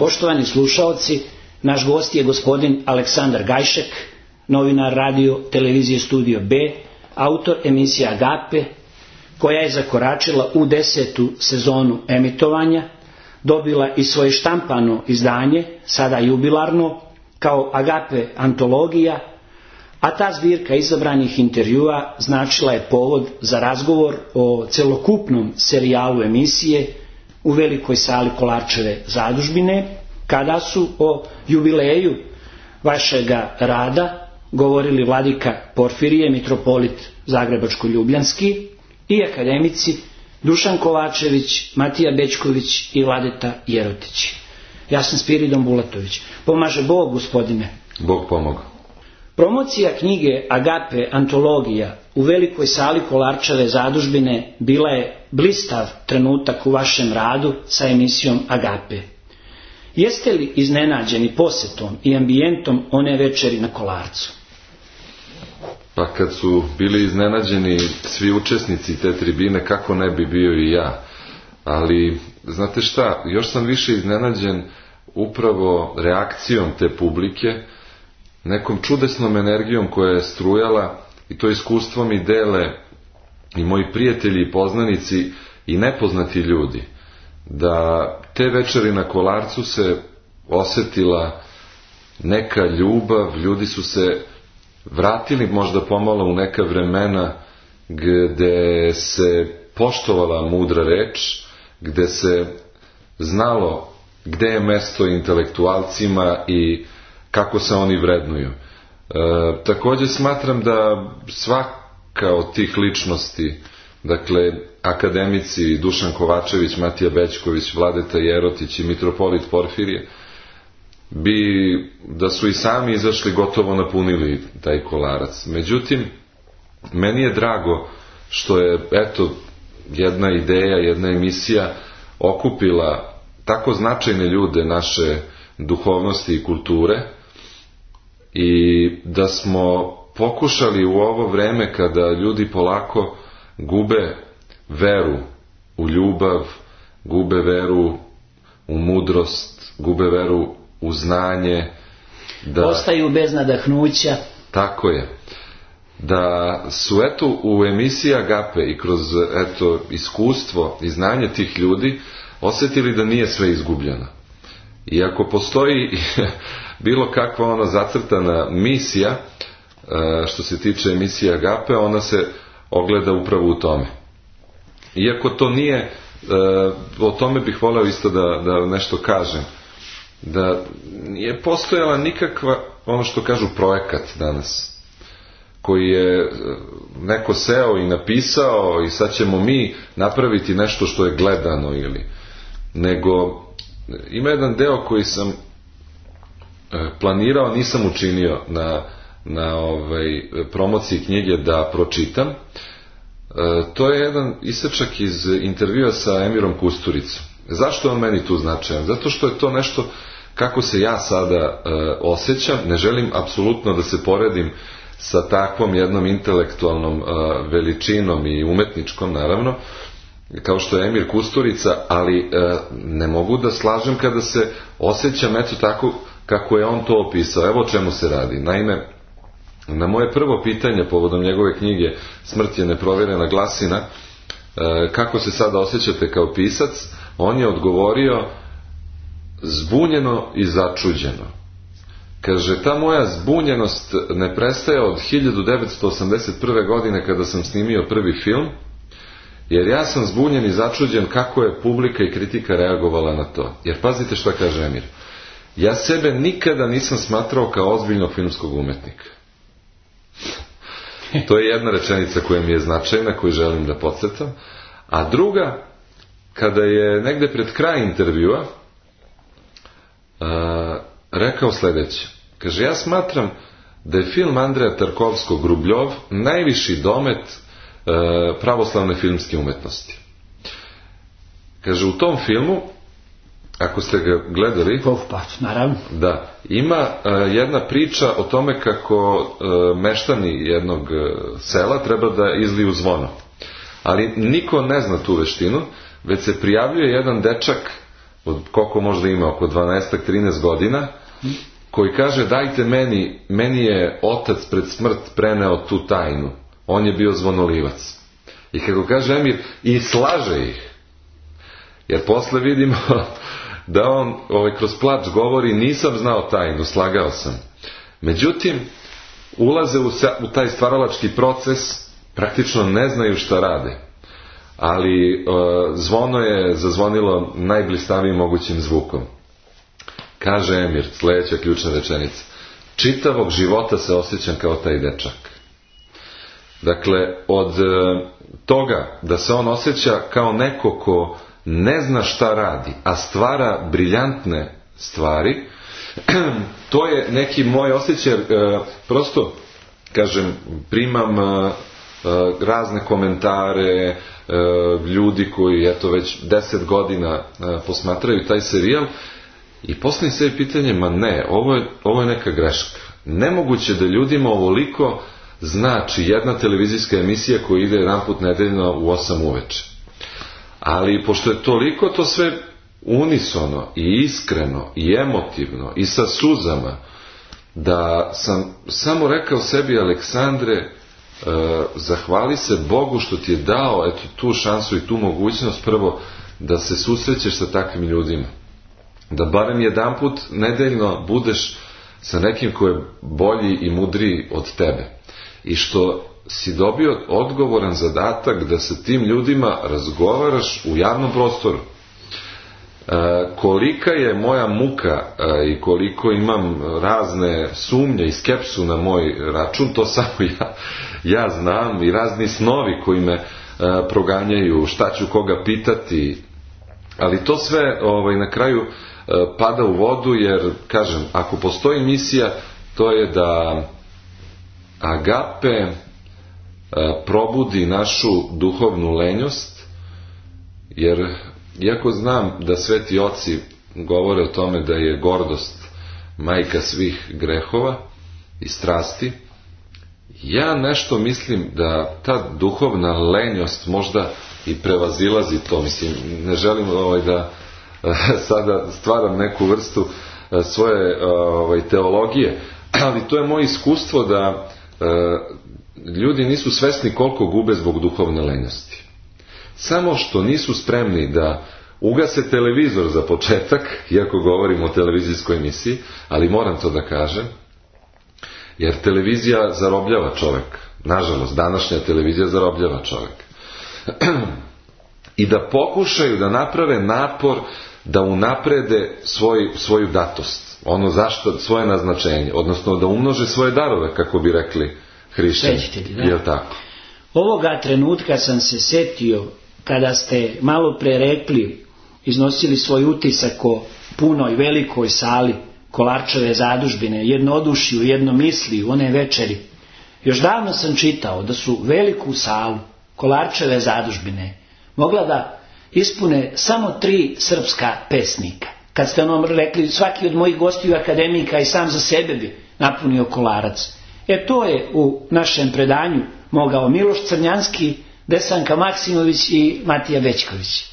Poštovani slušaoci, naš gost je gospodin Aleksandar Gajšek, novinar radio televizije Studio B, autor emisije Agape, koja je zakoračila u 10. sezonu emitovanja, dobila i svoje štampano izdanje, sada jubilarno, kao Agape antologija, a ta zbirka izabranih intervjua značila je povod za razgovor o celokupnom serijalu emisije u velikoj sali Kolarčeve zadužbine, kada su o jubileju vašega rada govorili vladika Porfirije, mitropolit Zagrebačko-ljubljanski i akademici Dušan Kovačević, Matija Bećković i Vladeta Jerotić. Ja sam Spiridon Bulatović. Pomaže Bog, gospodine. Bog pomogao. Promocija knjige Agape antologija u velikoj sali Kolarčeve zadužbine bila je blistav trenutak u vašem radu sa emisijom Agape. Jeste li iznenađeni posetom i ambijentom one večeri na Kolarcu? Pa kad su bili iznenađeni svi učesnici te tribine, kako ne bi bio i ja. Ali, znate šta, još sam više iznenađen upravo reakcijom te publike, nekom čudesnom energijom koja je strujala, i to iskustvo mi dele i moji prijatelji i poznanici i nepoznati ljudi, da te večeri na Kolarcu se osjetila neka ljubav, ljudi su se vratili možda pomalo u neka vremena gde se poštovala mudra reč, gde se znalo gde je mesto intelektualcima i kako se oni vrednuju. Također smatram da svaka od tih ličnosti, dakle akademici Dušan Kovačević, Matija Bećković, Vladeta Jerotić i mitropolit Porfirije, da su i sami izašli, gotovo napunili taj Kolarac. Međutim, meni je drago što je, eto, jedna ideja, jedna emisija okupila tako značajne ljude naše duhovnosti i kulture, i da smo pokušali u ovo vreme kada ljudi polako gube veru u ljubav, gube veru u mudrost, gube veru u znanje, da ostaju bez nadahnuća. Tako je. Da su eto u emisiji Agape i kroz eto iskustvo i znanje tih ljudi osjetili da nije sve izgubljeno. I ako postoji bilo kakva ona zacrtana misija što se tiče emisije Agape, ona se ogleda upravo u tome. Iako to nije, o tome bih voleo isto da nešto kažem, da nije postojala nikakva, ono što kažu, projekat danas, koji je neko seo i napisao i sad ćemo mi napraviti nešto što je gledano, ili nego ima jedan deo koji sam planirao, nisam učinio na promociji knjige da pročitam. To je jedan isečak iz intervjua sa Emirom Kusturicom. Zašto je on meni tu značajan? Zato što je to nešto kako se ja sada osjećam. Ne želim apsolutno da se poredim sa takvom jednom intelektualnom veličinom i umetničkom, naravno, kao što je Emir Kusturica, ali ne mogu da slažem kada se osjećam eto tako kako je on to opisao. Evo o čemu se radi. Naime, na moje prvo pitanje povodom njegove knjige Smrt je neprovjerena glasina, kako se sada osjećate kao pisac, on je odgovorio zbunjeno i začuđeno. Kaže, ta moja zbunjenost ne prestaje od 1981. godine kada sam snimio prvi film, jer ja sam zbunjen i začuđen kako je publika i kritika reagovala na to. Jer pazite šta kaže Emir. Ja sebe nikada nisam smatrao kao ozbiljnog filmskog umetnika. To je jedna rečenica koja mi je značajna, koju želim da podcrtam. A druga, kada je negde pred kraj intervjua rekao sljedeće. Kaže, ja smatram da je film Andreja Tarkovskog Rubljov najviši domet pravoslavne filmske umetnosti. Kaže, u tom filmu, ako ste ga gledali, naravno, da, ima jedna priča o tome kako meštani jednog sela treba da izliju zvono. Ali niko ne zna tu veštinu, već se prijavljuje jedan dečak od koliko možda ima, oko 12-13 godina, koji kaže dajte meni je otac pred smrt preneo tu tajnu. On je bio zvonolivac. I kako kaže Emir, i slaže ih. Jer posle vidimo da on kroz plač govori nisam znao tajnu, slagao sam. Međutim, ulaze u taj stvaralački proces, praktično ne znaju šta rade. Ali zvono je zazvonilo najblistavijim mogućim zvukom. Kaže Emir, sljedeća ključna rečenica: čitavog života se osjećam kao taj dečak. Dakle, od toga da se on osjeća kao neko ko ne zna šta radi, a stvara briljantne stvari, to je neki moj osjećaj. Prosto, kažem, primam razne komentare ljudi koji već 10 godina posmatraju taj serijal i postavim sebi pitanje, ma ne, ovo je neka greška. Nemoguće da ljudima ovoliko znači jedna televizijska emisija koja ide jedan put nedeljno u 8 uveče. Ali pošto je toliko to sve unisono i iskreno i emotivno i sa suzama, da sam samo rekao sebi, Aleksandre, zahvali se Bogu što ti je dao tu šansu i tu mogućnost, prvo da se susrećeš sa takvim ljudima, da barem jedanput nedeljno budeš sa nekim ko je bolji i mudriji od tebe i što si dobio odgovoran zadatak da sa tim ljudima razgovaraš u javnom prostoru. Kolika je moja muka i koliko imam razne sumnje i skepsu na moj račun, to samo ja znam, i razni snovi koji me proganjaju, šta ću koga pitati, ali to sve na kraju pada u vodu, jer kažem, ako postoji misija, to je da agape probudi našu duhovnu lenjost, jer iako znam da sveti oci govore o tome da je gordost majka svih grehova i strasti, ja nešto mislim da ta duhovna lenjost možda i prevazilazi to. Mislim, ne želim da sada stvaram neku vrstu svoje teologije, ali to je moje iskustvo da ljudi nisu svesni koliko gube zbog duhovne lenjosti. Samo što nisu spremni da ugase televizor za početak, iako govorimo o televizijskoj emisiji, ali moram to da kažem, jer televizija zarobljava čovek. Nažalost, današnja televizija zarobljava čovek. I da pokušaju da naprave napor da unaprede svoju datost, svoje naznačenje, odnosno da umnože svoje darove, kako bi rekli hrišćani. Jel tako? Ovoga trenutka sam se setio kada ste malo pre rekli, iznosili svoj utisak o punoj velikoj sali Kolarčeve zadužbine, jednodušju, jednomisli u one večeri. Još davno sam čitao da su veliku salu Kolarčeve zadužbine mogla da ispune samo 3 srpska pesnika. Kad ste ono rekli, svaki od mojih gostiju akademika i sam za sebe bi napunio Kolarac. To je u našem predanju mogao Miloš Crnjanski, Desanka Maksimović i Matija Bećković.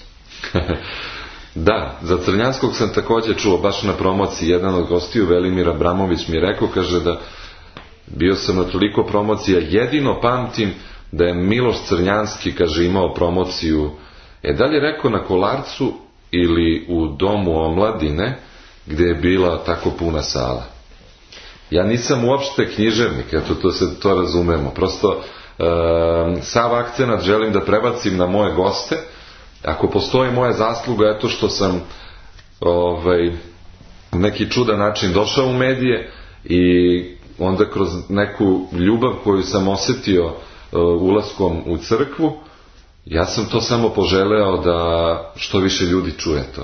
Da, za Crnjanskog sam također čuo baš na promociji. Jedan od gostiju, Velimir Abramović, mi je rekao, kaže da bio sam na toliko promocija, jedino pamtim da je Miloš Crnjanski, kaže, imao promociju, da li je rekao na Kolarcu ili u Domu omladine, gdje je bila tako puna sala. Ja nisam uopšte književnik, to razumemo, prosto sav akcenat želim da prebacim na moje goste. Ako postoji moja zasluga, što sam neki čudan način došao u medije i onda kroz neku ljubav koju sam osjetio ulaskom u crkvu, ja sam to samo poželeo da što više ljudi čuje to.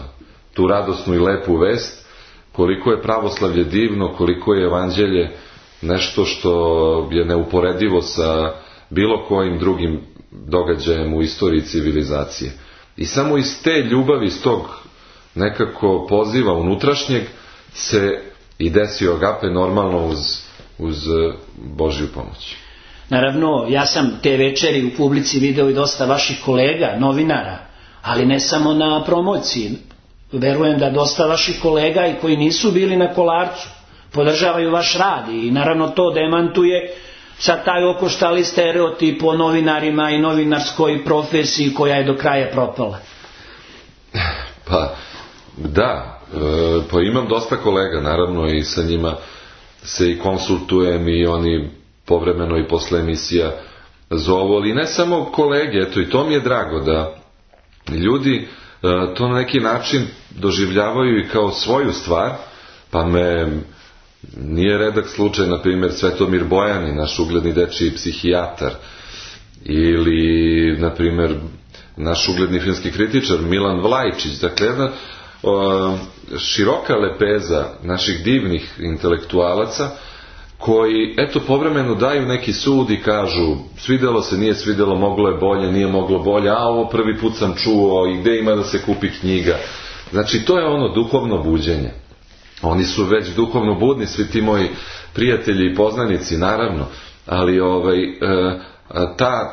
Tu radosnu i lepu vest, koliko je pravoslavlje divno, koliko je evanđelje nešto što je neuporedivo sa bilo kojim drugim događajem u istoriji civilizacije. I samo iz te ljubavi, iz tog nekako poziva unutrašnjeg se i desio agape, normalno uz Božju pomoć. Naravno, ja sam te večeri u publici video i dosta vaših kolega, novinara, ali ne samo na promociji. verujem da dosta vaših kolega i koji nisu bili na Kolarcu podržavaju vaš rad i naravno to demantuje sad taj okoštali stereotip o novinarima i novinarskoj profesiji koja je do kraja propala. Pa da, pa imam dosta kolega naravno i sa njima se i konsultujem i oni povremeno i posle emisija zovu, ali ne samo kolege, eto i to mi je drago da ljudi to na neki način doživljavaju i kao svoju stvar, pa me nije redak slučaj, na primjer, Svetomir Bojani, naš ugledni dečiji psihijatar, ili, na primjer, naš ugledni filmski kritičar Milan Vlajčić, dakle jedna široka lepeza naših divnih intelektualaca koji, eto, povremeno daju neki sud i kažu svidelo se, nije svidelo, moglo je bolje, nije moglo bolje, a ovo prvi put sam čuo i gde ima da se kupi knjiga. Znači, to je ono duhovno buđenje. Oni su već duhovno budni, svi ti moji prijatelji i poznanici, naravno, ali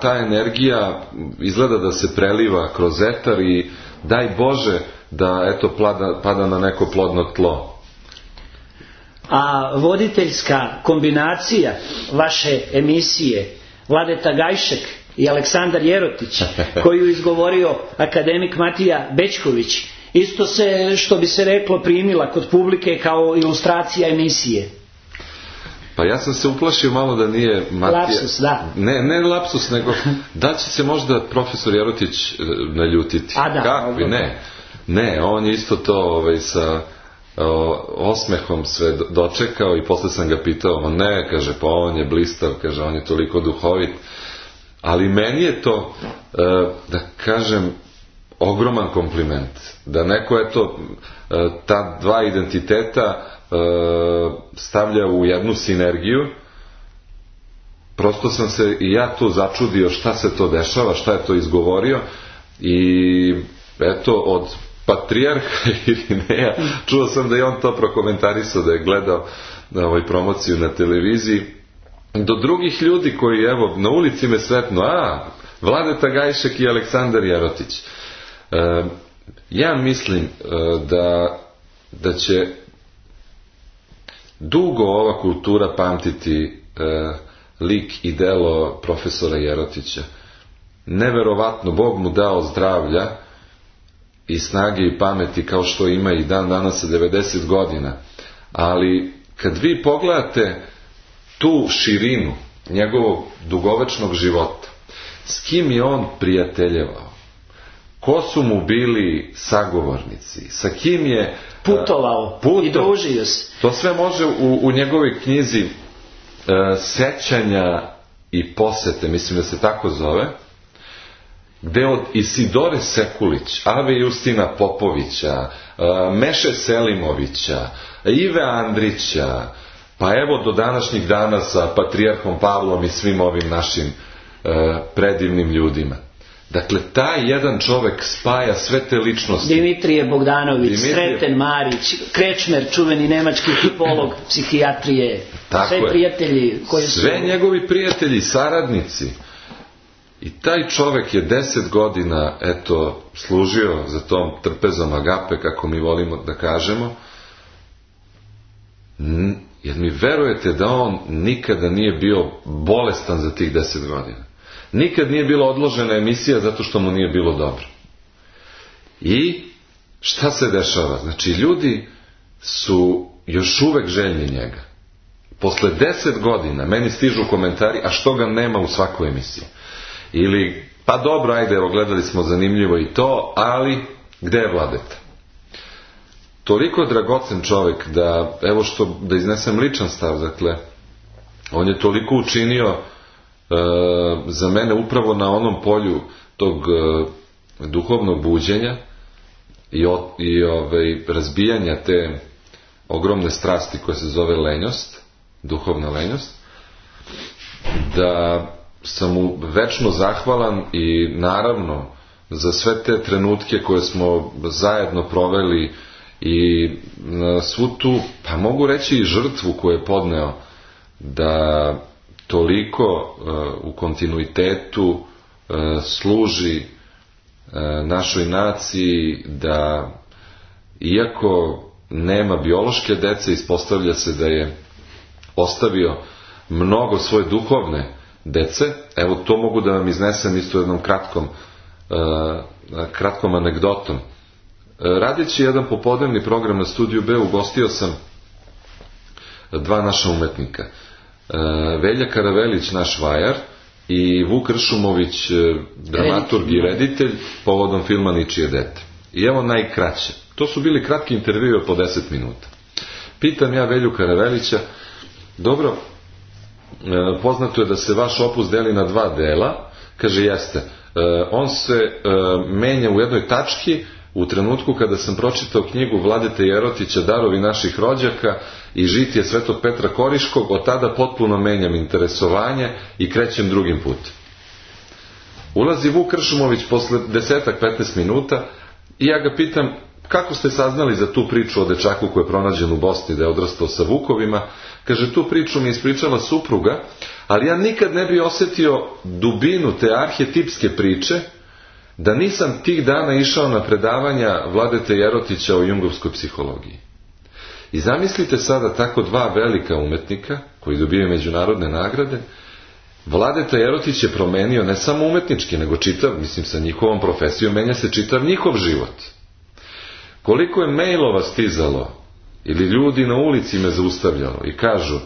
ta energija izgleda da se preliva kroz etar i daj Bože da eto pada na neko plodno tlo. A voditeljska kombinacija vaše emisije Vladeta Gajšek i Aleksandar Jerotić, koju izgovorio akademik Matija Bećković, isto se, što bi se reklo, primila kod publike kao ilustracija emisije. Pa ja sam se uplašio malo da nije Matija... Lapsus, da. Ne lapsus, nego da će se možda profesor Jerotić naljutiti. A da. Kakvi, ne, on je isto to sa osmehom sve dočekao i posle sam ga pitao, ne, kaže, pa on je blistav, kaže, on je toliko duhovit. Ali meni je to, da kažem, ogroman kompliment. Da neko, eto, ta dva identiteta stavlja u jednu sinergiju. Prosto sam se i ja tu začudio šta se to dešava, šta je to izgovorio i eto, od patrijarha Irineja čuo sam da je on to prokomentarisao, da je gledao promociju na televiziji, do drugih ljudi koji, evo, na ulici me sretnu, Vladeta Gajšek i Aleksandar Jerotić. Ja mislim da će dugo ova kultura pamtiti lik i delo profesora Jerotića. Neverovatno, Bog mu dao zdravlja i snage i pameti kao što ima i dan danas sa 90 godina. Ali kad vi pogledate tu širinu njegovog dugovečnog života, s kim je on prijateljevao, ko su mu bili sagovornici, sa kim je putovao i družio se. To sve može u njegovoj knjizi Sećanja i posete, mislim da se tako zove, gde od Isidore Sekulić, Ave Justina Popovića, Meše Selimovića, Ive Andrića, pa evo do današnjih dana sa patrijarhom Pavlom i svim ovim našim predivnim ljudima. Dakle, taj jedan čovek spaja sve te ličnosti. Dimitrije Bogdanović, Sreten Marić, Krečmer, čuveni nemački tipolog psihijatrije, sve prijatelji koji su... Sve njegovi prijatelji, saradnici. I taj čovek je 10 godina, eto, služio za tom trpezom agape, kako mi volimo da kažemo. Jer mi verujete da on nikada nije bio bolestan za tih 10 godina. Nikad nije bila odložena emisija zato što mu nije bilo dobro. I šta se dešava? Znači, ljudi su još uvek željni njega. Posle 10 godina meni stižu komentari, a što ga nema u svakoj emisiji? Ili, pa dobro, ajde, evo, gledali smo zanimljivo i to, ali gde je Vladeta? Toliko dragocen čovek da, evo što, da iznesem ličan stav, dakle, on je toliko učinio za mene upravo na onom polju tog duhovnog buđenja i razbijanja te ogromne strasti koja se zove lenjost, duhovna lenjost, da sam mu večno zahvalan i naravno za sve te trenutke koje smo zajedno proveli i svu tu, pa mogu reći i žrtvu koju je podneo da toliko u kontinuitetu služi našoj naciji, da iako nema biološke dece, ispostavlja se da je ostavio mnogo svoje duhovne dece. Evo, to mogu da vam iznesem isto jednom kratkom anegdotom. Radeći jedan popodnevni program na Studiju B, ugostio sam dva naša umetnika. Velja Karavelić, naš vajar, i Vuk Ršumović, dramaturg i reditelj, povodom filma Ničije dete. I evo najkraće. To su bili kratki intervjui od po 10 minuta. Pitam ja Velju Karavelića, dobro, poznato je da se vaš opus deli na 2 dela. Kaže, jeste. On se menja u jednoj tački u trenutku kada sam pročitao knjigu Vladete Jerotića Darovi naših rođaka i Žitije Svetog Petra Koriškog. Od tada potpuno menjam interesovanje i krećem drugim putem. Ulazi Vuk Ršumović posle 10-15 minuta i ja ga pitam, kako ste saznali za tu priču o dečaku koji je pronađen u Bosni, da je odrastao sa vukovima? Kaže, tu priču mi je ispričala supruga, ali ja nikad ne bi osjetio dubinu te arhetipske priče da nisam tih dana išao na predavanja Vladete Jerotića o jungovskoj psihologiji. I zamislite sada tako 2 velika umetnika koji dobijaju međunarodne nagrade. Vladeta Jerotić je promenio ne samo umetnički, nego čitav, mislim sa njihovom profesijom, menja se čitav njihov život. Koliko je mailova stizalo ili ljudi na ulici me zaustavljalo i kažu,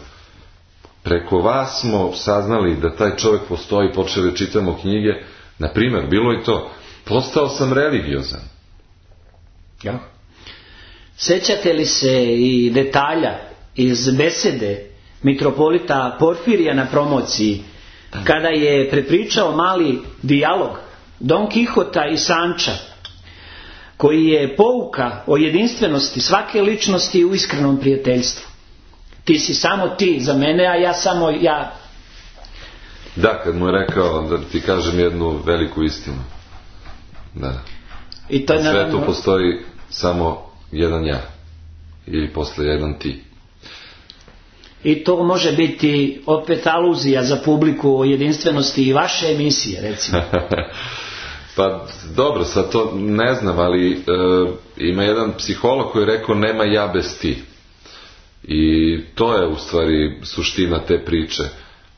preko vas smo saznali da taj čovjek postoji, počeli čitamo knjige. Na primjer, bilo je to, postao sam religiozan. Ja. Sećate li se i detalja iz besede mitropolita Porfirija na promociji, kada je prepričao mali dijalog Don Kihota i Sanča, koji je pouka o jedinstvenosti svake ličnosti u iskrenom prijateljstvu? Ti si samo ti za mene, a ja samo ja. Da, kad mu je rekao da ti kažem jednu veliku istinu. Da. I to na svetu postoji samo jedan ja. Ili posle jedan ti. I to može biti opet aluzija za publiku o jedinstvenosti i vaše emisije, recimo. Pa dobro, sad to ne znam, ali ima jedan psiholog koji je rekao nema ja bez ti. I to je u stvari suština te priče.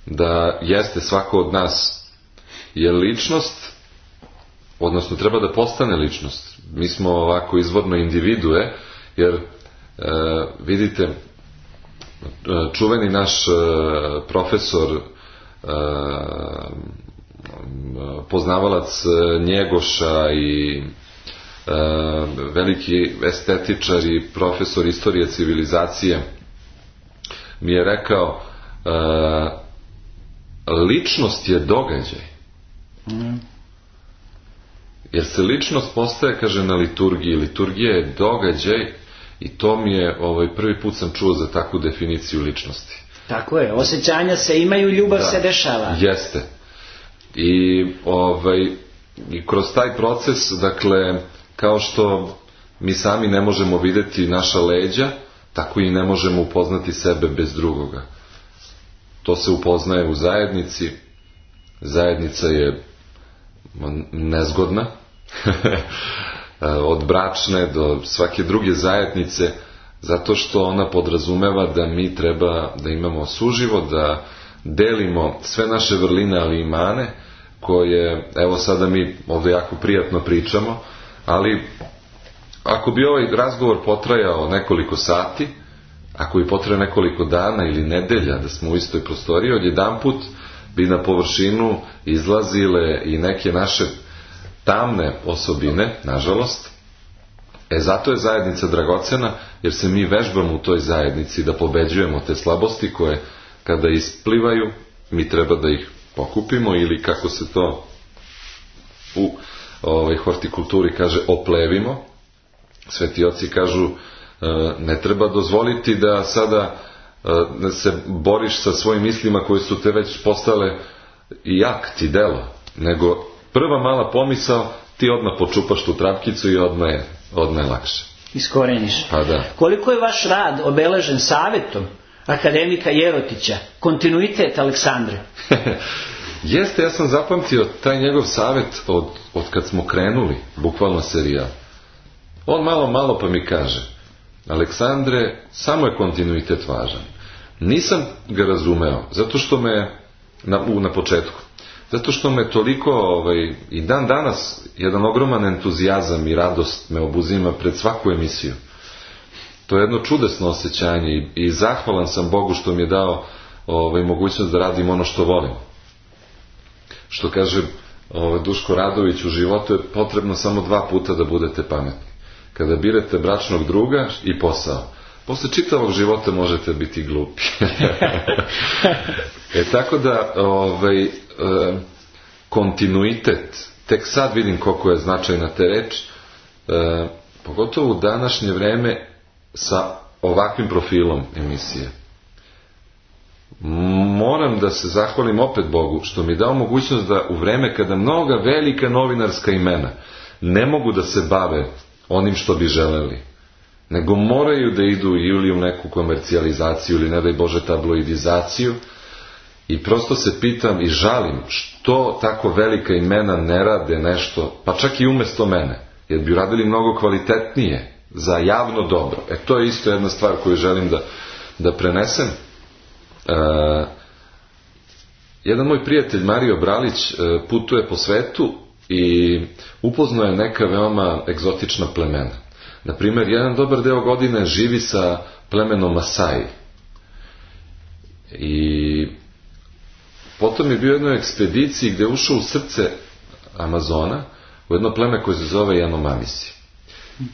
Da jeste svako od nas je ličnost, odnosno treba da postane ličnost. Mi smo ovako izvorno individue, jer vidite, čuveni naš profesor, poznavalac Njegoša i veliki estetičar i profesor istorije civilizacije mi je rekao, ličnost je događaj. Jer se ličnost postaje, kaže, na liturgiji. Liturgija je događaj i to mi je prvi put sam čuo za takvu definiciju ličnosti. Tako je, osjećanja se imaju, ljubav se dešava. Jeste. I kroz taj proces, dakle, kao što mi sami ne možemo vidjeti naša leđa, tako i ne možemo upoznati sebe bez drugoga. To se upoznaje u zajednici. Zajednica je nezgodna. Od bračne do svake druge zajednice, zato što ona podrazumeva da mi treba da imamo suživot, da delimo sve naše vrline, ali i mane, koje, evo sada mi ovdje jako prijatno pričamo, ali ako bi ovaj razgovor potrajao nekoliko sati, ako bi potrajao nekoliko dana ili nedelja da smo u istoj prostoriji, odjedanput bi na površinu izlazile i neke naše tamne osobine, nažalost. Zato je zajednica dragocena, jer se mi vežbamo u toj zajednici da pobeđujemo te slabosti koje, kada isplivaju, mi treba da ih pokupimo ili, kako se to u hortikulturi kaže, oplevimo. Sveti oci kažu, ne treba dozvoliti da sada se boriš sa svojim mislima koje su te već postale i akt i delo, nego prva mala pomisao, ti odmah počupaš tu trapkicu i odmah je lakše. Iskoreniš. Pa da. Koliko je vaš rad obeležen savjetom akademika Jerotića, kontinuitet Aleksandre? Jeste, ja sam zapamtio taj njegov savjet od kad smo krenuli, bukvalno serijal. On malo pa mi kaže: Aleksandre, samo je kontinuitet važan. Nisam ga razumeo, zato što me, na početku, zato što me toliko, i dan danas, jedan ogroman entuzijazam i radost me obuzima pred svaku emisiju. To je jedno čudesno osjećanje i zahvalan sam Bogu što mi je dao mogućnost da radim ono što volim. Što kaže Duško Radović, u životu je potrebno samo 2 puta da budete pametni. Kada birate bračnog druga i posao. Posle čitavog života možete biti glupi. Tako da kontinuitet, tek sad vidim koliko je značajna te reč, pogotovo u današnje vreme sa ovakvim profilom emisije. Moram da se zahvalim opet Bogu što mi je dao mogućnost da u vreme kada mnoga velika novinarska imena ne mogu da se bave onim što bi želeli, nego moraju da idu ili u neku komercijalizaciju ili ne daj Bože tabloidizaciju, i prosto se pitam i žalim što tako velika imena ne rade nešto, pa čak i umjesto mene, jer bi radili mnogo kvalitetnije za javno dobro. To je isto jedna stvar koju želim da prenesem. Jedan moj prijatelj Mario Bralić putuje po svetu i upoznao je neka veoma egzotična plemena. Naprimjer, jedan dobar deo godine živi sa plemenom Masai. I potom je bio u jednoj ekspediciji gdje je ušao u srce Amazona, u jedno pleme koje se zove Janomamisi.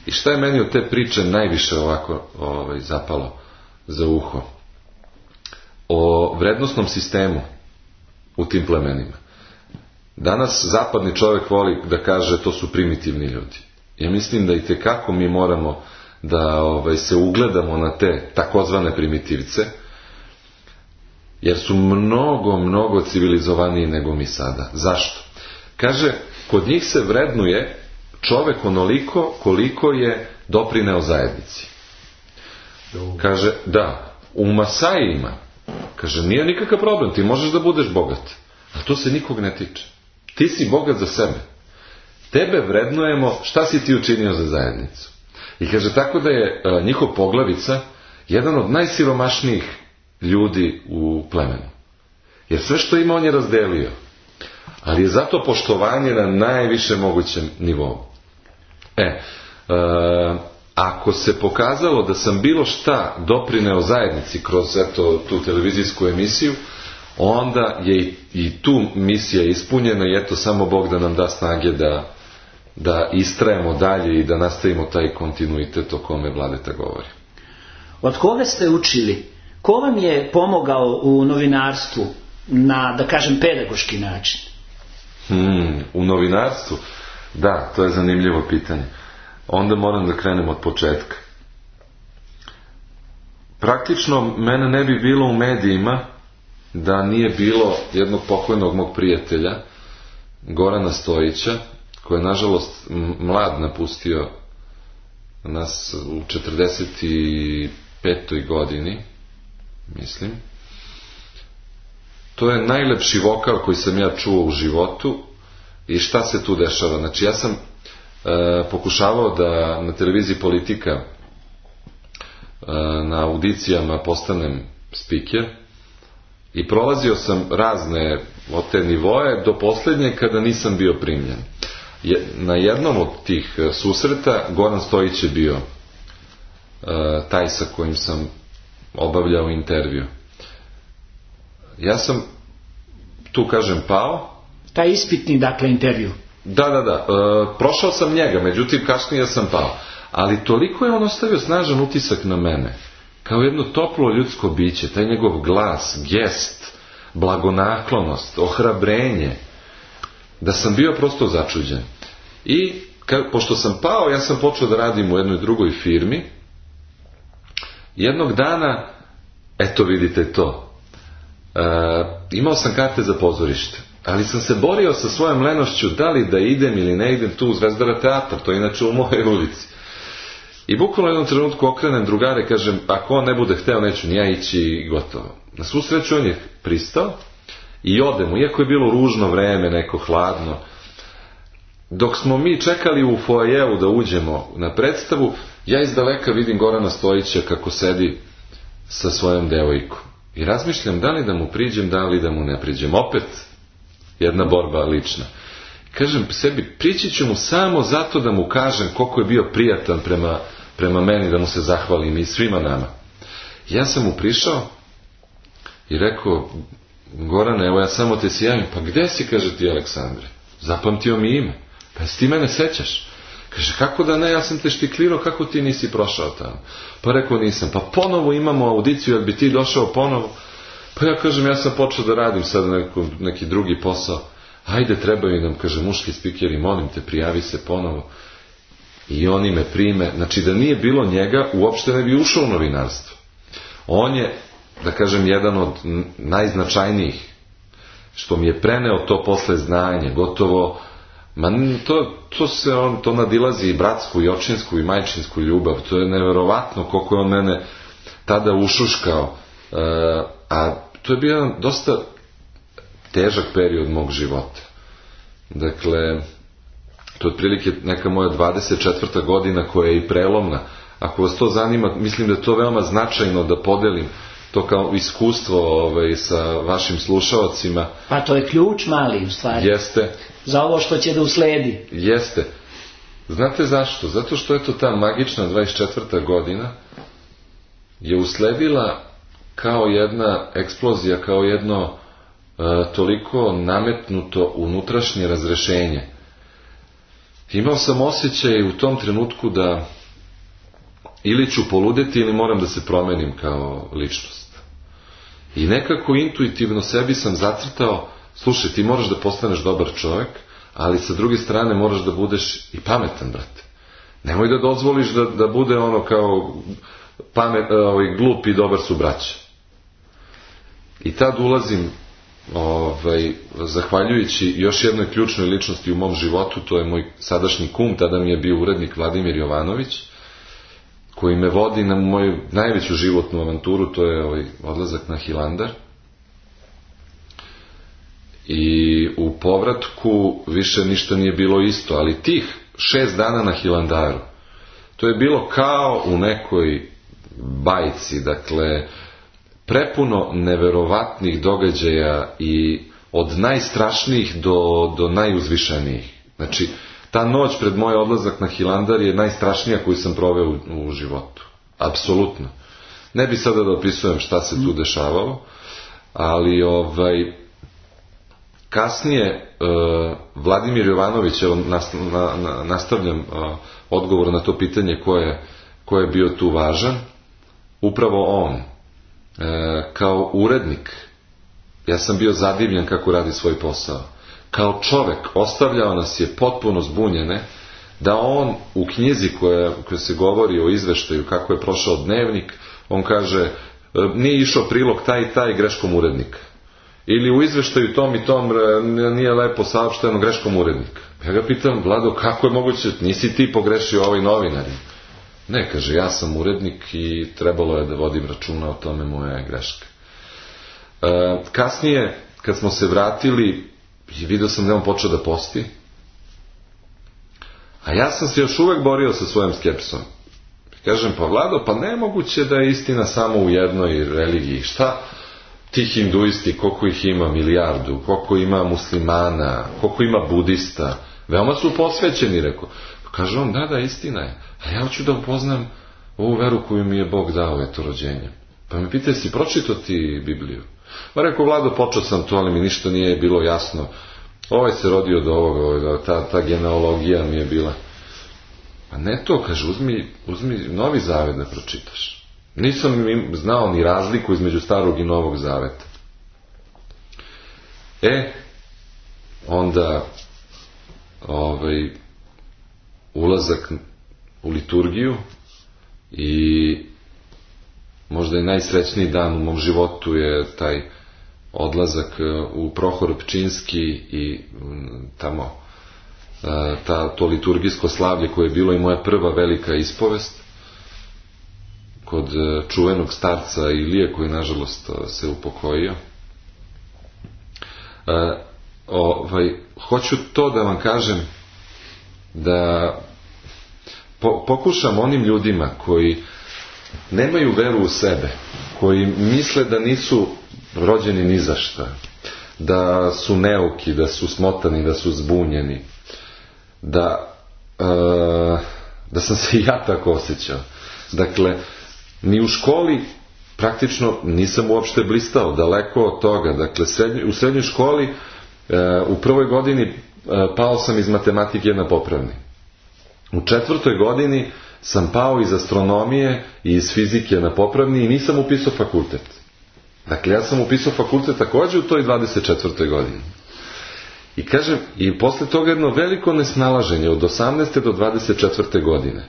I šta je meni od te priče najviše ovako zapalo za uho? O vrednostnom sistemu u tim plemenima. Danas zapadni čovjek voli da kaže to su primitivni ljudi. Ja mislim da itekako mi moramo da se ugledamo na te takozvane primitivce, jer su mnogo civilizovaniji nego mi sada. Zašto? Kaže, kod njih se vrednuje čovjek onoliko koliko je doprineo zajednici. Kaže, da, u Masajima, kaže, nije nikakav problem, ti možeš da budeš bogat, a to se nikog ne tiče. Ti si bogat za sebe. Tebe vrednujemo šta si ti učinio za zajednicu. I kaže, tako da je njihov poglavica jedan od najsiromašnijih ljudi u plemenu. Jer sve što ima on je razdelio. Ali je zato poštovanje na najviše mogućem nivou. Ako se pokazalo da sam bilo šta doprineo zajednici kroz tu televizijsku emisiju, onda je i tu misija ispunjena i samo Bog da nam da snage da istrajemo dalje i da nastavimo taj kontinuitet o kome Vladeta govori. Od koga ste učili? Ko vam je pomogao u novinarstvu na, da kažem, pedagoški način? U novinarstvu? Da, to je zanimljivo pitanje. Onda moram da krenem od početka. Praktično mene ne bi bilo u medijima da nije bilo jednog pokojnog mog prijatelja, Gorana Stojića, koji je nažalost mlad napustio nas u 45. godini, mislim. To je najlepši vokal koji sam ja čuo u životu. I šta se tu dešava? Znači, ja sam pokušavao da na televiziji Politika na audicijama postanem spiker i prolazio sam razne od te nivoje do posljednje kada nisam bio primljen. Na jednom od tih susreta Goran Stojić je bio taj sa kojim sam obavljao intervju. Ja sam tu, kažem, pao. Taj ispitni, dakle, intervju. Da. Prošao sam njega, međutim kasnije sam pao. Ali toliko je on ostavio snažan utisak na mene. Kao jedno toplo ljudsko biće, taj njegov glas, gest, blagonaklonost, ohrabrenje, da sam bio prosto začuđen. I pošto sam pao, ja sam počeo da radim u jednoj drugoj firmi. Jednog dana, eto vidite to, imao sam karte za pozorište, ali sam se borio sa svojom lenošću da li da idem ili ne idem tu u Zvezdara teatar, to je inače u mojoj ulici. I bukvalno u jednom trenutku okrenem drugare, kažem, ako on ne bude hteo, neću ni ja ići i gotovo. Na svu sreću on je pristao i odemo, iako je bilo ružno vreme, neko hladno. dok smo mi čekali u foajeu da uđemo na predstavu, ja iz daleka vidim Gorana Stojića kako sedi sa svojom devojkom. I razmišljam da li da mu priđem, da li da mu ne priđem. Opet jedna borba lična. Kažem sebi, prići ću mu samo zato da mu kažem koliko je bio prijatan prema meni, da mu se zahvalim i svima nama. Ja sam mu prišao i rekao, Gorane, evo ja samo te se javim. Pa gde si, kaže, ti Aleksandre? Zapamtio mi ime. Pa jesi ti mene sećaš? Kaže, kako da ne, ja sam te štiklirao, kako ti nisi prošao tamo? Pa rekao, nisam. Pa ponovo imamo audiciju, jel bi ti došao ponovo? Pa ja kažem, ja sam počeo da radim sad neki drugi posao. Ajde, trebaju nam, kaže, muški spikeri, molim te, prijavi se ponovo. I oni me prime. Znači, da nije bilo njega, uopšte ne bi ušao u novinarstvo. On je, da kažem, jedan od najznačajnijih, što mi je preneo to posle znanje, gotovo, to nadilazi i bratsku, i očinsku, i majčinsku ljubav. To je neverovatno koliko je on mene tada ušuškao. A to je bio jedan dosta težak period mog života. Dakle, to je otprilike neka moja 24. godina koja je i prelomna. Ako vas to zanima, mislim da je to veoma značajno da podelim to kao iskustvo sa vašim slušalcima. Pa to je ključ mali u stvari. Jeste. Za ovo što će da usledi. Jeste. Znate zašto? Zato što je to ta magična 24. godina je usledila kao jedna eksplozija, kao jedno toliko nametnuto unutrašnje razrešenje. Imao sam osjećaj u tom trenutku da ili ću poludeti ili moram da se promenim kao ličnost. I nekako intuitivno sebi sam zacrtao, slušaj, ti moraš da postaneš dobar čovjek, ali sa druge strane moraš da budeš i pametan, brate. Nemoj da dozvoliš da bude ono kao glup i dobar su braća. I tad ulazim, zahvaljujući još jednoj ključnoj ličnosti u mom životu, to je moj sadašnji kum, tada mi je bio urednik Vladimir Jovanović, koji me vodi na moju najveću životnu avanturu, to je odlazak na Hilandar. I u povratku više ništa nije bilo isto, ali tih 6 dana na Hilandaru, to je bilo kao u nekoj bajci, dakle, prepuno neverovatnih događaja i od najstrašnijih do najuzvišenijih. Znači, ta noć pred moj odlazak na Hilandar je najstrašnija koju sam proveo u životu. Apsolutno. Ne bi sada da opisujem šta se tu dešavalo, ali kasnije Vladimir Jovanović, evo nastavljam odgovor na to pitanje ko je bio tu važan, upravo on. Kao urednik, ja sam bio zadivljen kako radi svoj posao. Kao čovek, ostavljao nas je potpuno zbunjene, da on u knjizi koja se govori o izveštaju kako je prošao dnevnik, on kaže, nije išao prilog taj i taj greškom urednika. Ili u izveštaju tom i tom nije lepo saopšteno greškom urednika. Ja ga pitam, Vlado, kako je moguće, nisi ti pogrešio ovaj novinar? Ne, kaže, ja sam urednik i trebalo je da vodim računa o tome, moja je greška. Kasnije, kad smo se vratili, vidio sam da on počeo da posti, a ja sam se još uvek borio sa svojom skepsom. Kažem, pa Vlado, pa nemoguće da je istina samo u jednoj religiji. Šta ti hinduisti, koliko ih ima, milijardu, koliko ima muslimana, koliko ima budista, veoma su posvećeni, rekao. Kaže on, da, istina je. A ja hoću da upoznam ovu veru koju mi je Bog dao, eto, rođenjem. Pa me pita, si pročitao ti Bibliju? Pa rekao, Vlado, počeo sam to, ali mi ništa nije bilo jasno. Ovaj se rodio do ovoga, ta genealogija mi je bila. A ne to, kaže, uzmi Novi Zavet da pročitaš. Nisam znao ni razliku između Starog i Novog Zaveta. Onda ulazak u liturgiju i možda i najsrećniji dan u mom životu je taj odlazak u Prohor Pčinski i tamo to liturgijsko slavlje koje je bilo i moja prva velika ispovest kod čuvenog starca Ilije koji nažalost se upokojio. Hoću to da vam kažem da pokušam onim ljudima koji nemaju veru u sebe, koji misle da nisu rođeni ni za šta, da su neuki, da su smotani, da su zbunjeni, da sam se i ja tako osjećao. Dakle, ni u školi praktično nisam uopšte blistao, daleko od toga. Dakle, u srednjoj školi u prvoj godini pao sam iz matematike na popravni. U 4. godini sam pao iz astronomije i iz fizike na popravni i nisam upisao fakultet. Dakle, ja sam upisao fakultet također u toj 24. godini. I kažem, i posle toga jedno veliko nesnalaženje od 18. do 24. godine.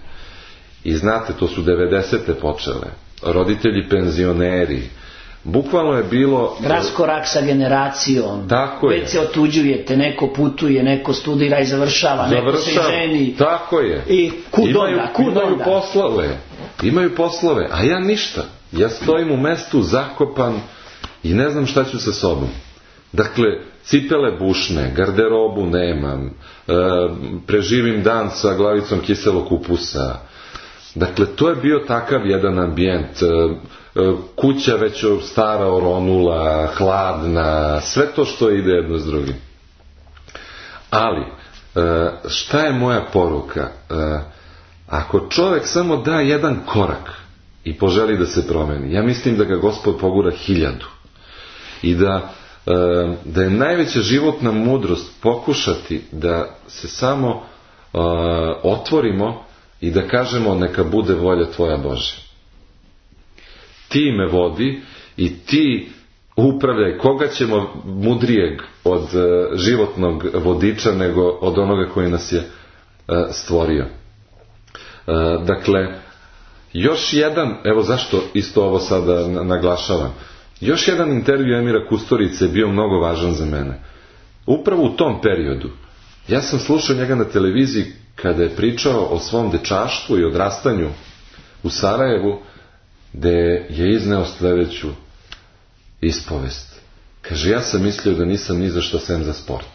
I znate, to su 90. počele. Roditelji penzioneri. Bukvalno je bilo... raskorak sa generacijom. Tako je. Već se otuđujete, neko putuje, neko studira i završava, neko se ženi. Tako je. I kud onda? Imaju poslove, a ja ništa. Ja stojim u mestu zakopan i ne znam šta ću sa sobom. Dakle, cipele bušne, garderobu nemam, preživim dan sa glavicom kiselog kupusa. Dakle, to je bio takav jedan ambijent. Kuća već stara, oronula, hladna, sve to što ide jedno s drugim. Ali, šta je moja poruka? Ako čovjek samo da jedan korak i poželi da se promeni, ja mislim da ga Gospod pogura 1000. I da je najveća životna mudrost pokušati da se samo otvorimo i da kažemo neka bude volja tvoja Bože. Ti me vodi i ti upravljaj. Koga ćemo mudrijeg od životnog vodiča nego od onoga koji nas je stvorio. Dakle, još jedan, evo zašto isto ovo sada naglašavam, još jedan intervju Emira Kusturice je bio mnogo važan za mene. Upravo u tom periodu ja sam slušao njega na televiziji kada je pričao o svom dečaštvu i odrastanju u Sarajevu, gde je izneo sljedeću ispovest. Kaže, ja sam mislio da nisam ni za što sem za sport.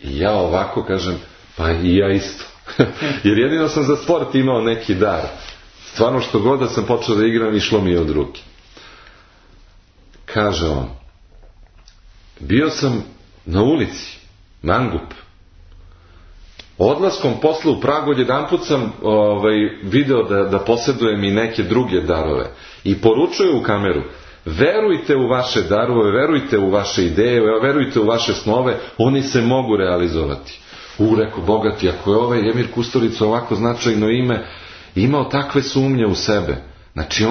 I ja ovako kažem, pa i ja isto. Jer jedino sam za sport imao neki dar. Stvarno što god da sam počeo da igram, išlo mi je od ruke. Kaže on, bio sam na ulici, mangup. Odlaskom posle u Pragu jedanput sam video da posjedujem i neke druge darove. I poručuju u kameru, verujte u vaše darove, verujte u vaše ideje, verujte u vaše snove, oni se mogu realizovati. Rekao, bogati, ako je ovaj Emir Kusturica ovako značajno ime, imao takve sumnje u sebe. Znači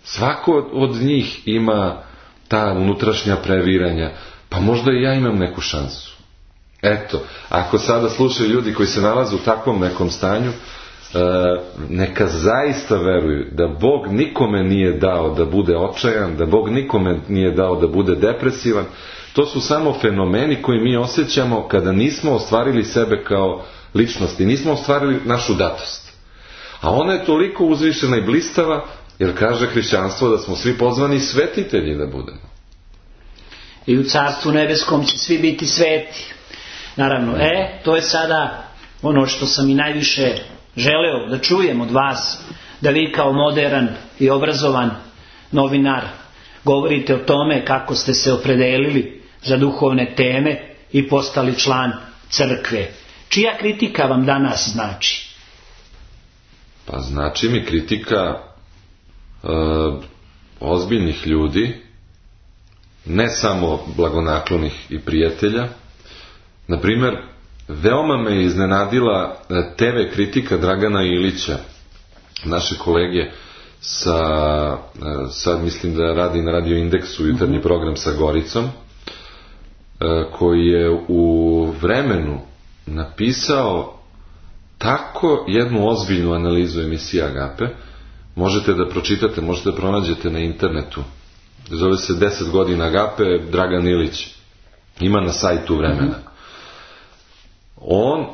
svako od njih ima ta unutrašnja previranja, pa možda i ja imam neku šansu. Eto, ako sada slušaju ljudi koji se nalaze u takvom nekom stanju, neka zaista veruju da Bog nikome nije dao da bude očajan, da Bog nikome nije dao da bude depresivan. To su samo fenomeni koji mi osjećamo kada nismo ostvarili sebe kao ličnosti, nismo ostvarili našu datost. A ona je toliko uzvišena i blistava, jer kaže hrišćanstvo da smo svi pozvani svetitelji da budemo. I u Carstvu nebeskom će svi biti sveti. Naravno, to je sada ono što sam i najviše želeo da čujem od vas, da vi kao moderan i obrazovan novinar govorite o tome kako ste se opredelili za duhovne teme i postali član crkve. Čija kritika vam danas znači? Pa znači mi kritika ozbiljnih ljudi, ne samo blagonaklonih i prijatelja. Na primjer, veoma me iznenadila TV kritika Dragana Ilića, naše kolege sad mislim da radi na Radio Indeksu jutarnji program sa Goricom, koji je u Vremenu napisao tako jednu ozbiljnu analizu emisije Agape. Možete da pročitate, možete da pronađete na internetu. Zove se 10 godina Agape, Dragan Ilić. Ima na sajtu Vremena. On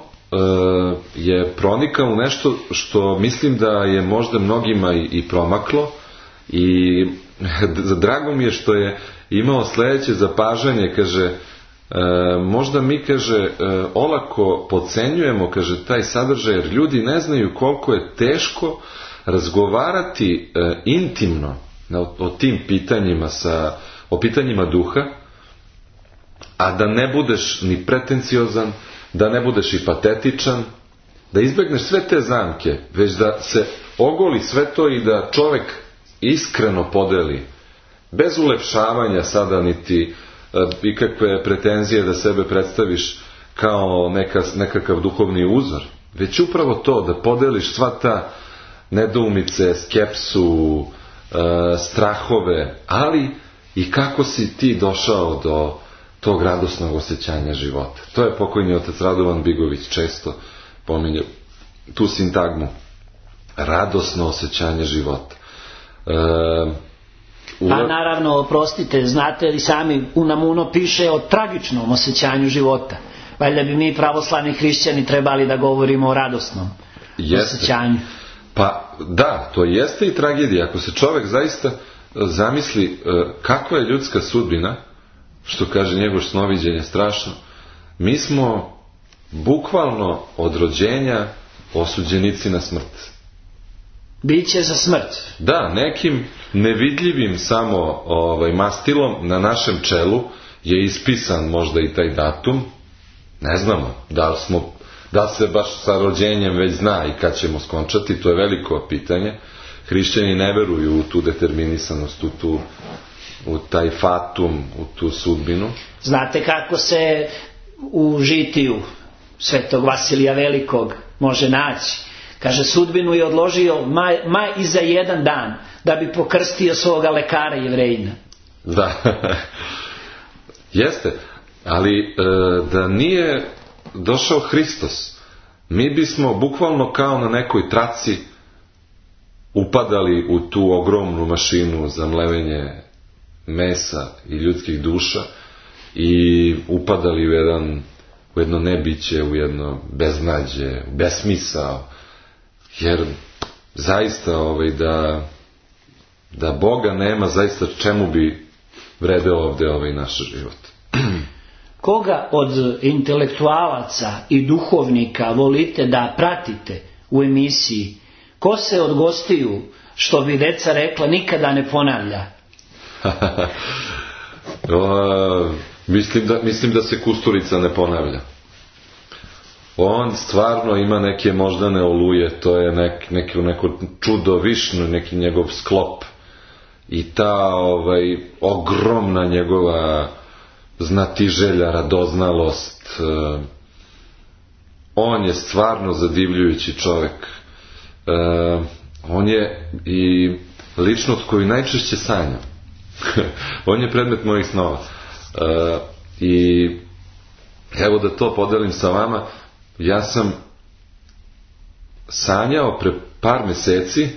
je pronikao u nešto što mislim da je možda mnogima i promaklo, i drago mi je što je imao sljedeće zapažanje, kaže, možda mi, kaže, olako podcenjujemo, kaže, taj sadržaj, jer ljudi ne znaju koliko je teško razgovarati intimno o tim pitanjima, o pitanjima duha, a da ne budeš ni pretenciozan, da ne budeš i patetičan, da izbegneš sve te zamke, već da se ogoli sve to i da čovek iskreno podeli, bez ulepšavanja sada niti ikakve pretenzije da sebe predstaviš kao nekakav duhovni uzor, već upravo to, da podeliš sva ta nedoumice, skepsu, strahove, ali i kako si ti došao do tog radosnog osjećanja života. To je pokojni otac Radovan Bigović često pominje tu sintagmu, radosno osjećanje života. Pa naravno, oprostite, znate li sami, Unamuno piše o tragičnom osjećanju života. Valjda bi mi pravoslavni hrišćani trebali da govorimo o radosnom osjećanju. Pa da, to jeste i tragedija. Ako se čovjek zaista zamisli kakva je ljudska sudbina, što kaže njegovo snoviđenje strašno, mi smo bukvalno od rođenja osuđenici na smrt. Biće za smrt. Da, nekim nevidljivim samo mastilom na našem čelu je ispisan možda i taj datum. Ne znamo da se baš sa rođenjem već zna i kad ćemo skončati, to je veliko pitanje. Hrišćani ne veruju u tu determinisanost, u taj fatum, u tu sudbinu. Znate kako se u žitiju Svetog Vasilija Velikog može naći? Kaže, sudbinu je odložio i za jedan dan da bi pokrstio svoga lekara Jevrejina. Da, jeste, ali da nije došao Hristos, mi bismo bukvalno kao na nekoj traci upadali u tu ogromnu mašinu za mlevenje mesa i ljudskih duša i upadali u jedno nebiće, u jedno beznađe, besmisao, jer zaista da Boga nema, zaista čemu bi vredeo ovdje naš život. Koga od intelektualaca i duhovnika volite da pratite u emisiji? Ko se od gostiju, što bi deca rekla, nikada ne ponavlja? Mislim da se Kusturica ne ponavlja. On stvarno ima neke moždane oluje, to je neko čudovišno, neki njegov sklop. I ta ogromna njegova znatiželja, radoznalost. On je stvarno zadivljujući čovjek. On je i ličnost koju najčešće sanjam. On je predmet mojih snova. I evo da to podelim sa vama. Ja sam sanjao pre par meseci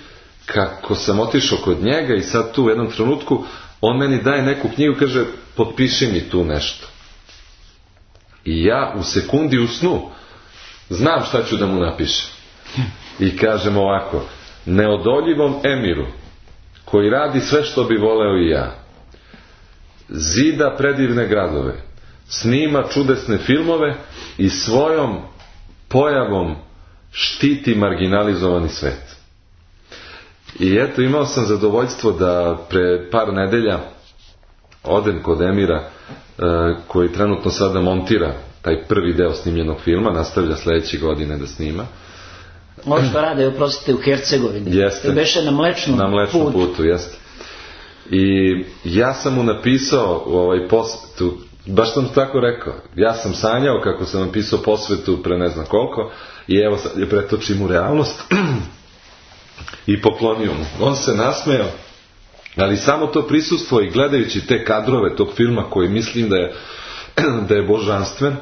kako sam otišao kod njega i sad tu u jednom trenutku on meni daje neku knjigu, kaže, potpiši mi tu nešto. I ja u sekundi u snu znam šta ću da mu napišem. I kažem ovako: neodoljivom Emiru, koji radi sve što bi voleo i ja, zida predivne gradove, snima čudesne filmove i svojom pojavom štiti marginalizovani svet. I eto, imao sam zadovoljstvo da pre par nedelja odem kod Emira, koji trenutno sada montira taj prvi deo snimljenog filma, nastavlja sledeće godine da snima. Ovo što rade, oprostite, u Hercegovini. Jeste. Beše na Mlečnom putu, jeste. I ja sam mu napisao posvetu, baš sam tako rekao, ja sam sanjao kako sam napisao posvetu pre ne znam koliko i evo sad je pretočim u realnost i poklonio mu. On se nasmejao, ali samo to prisustvo i gledajući te kadrove tog filma koji mislim da je božanstven,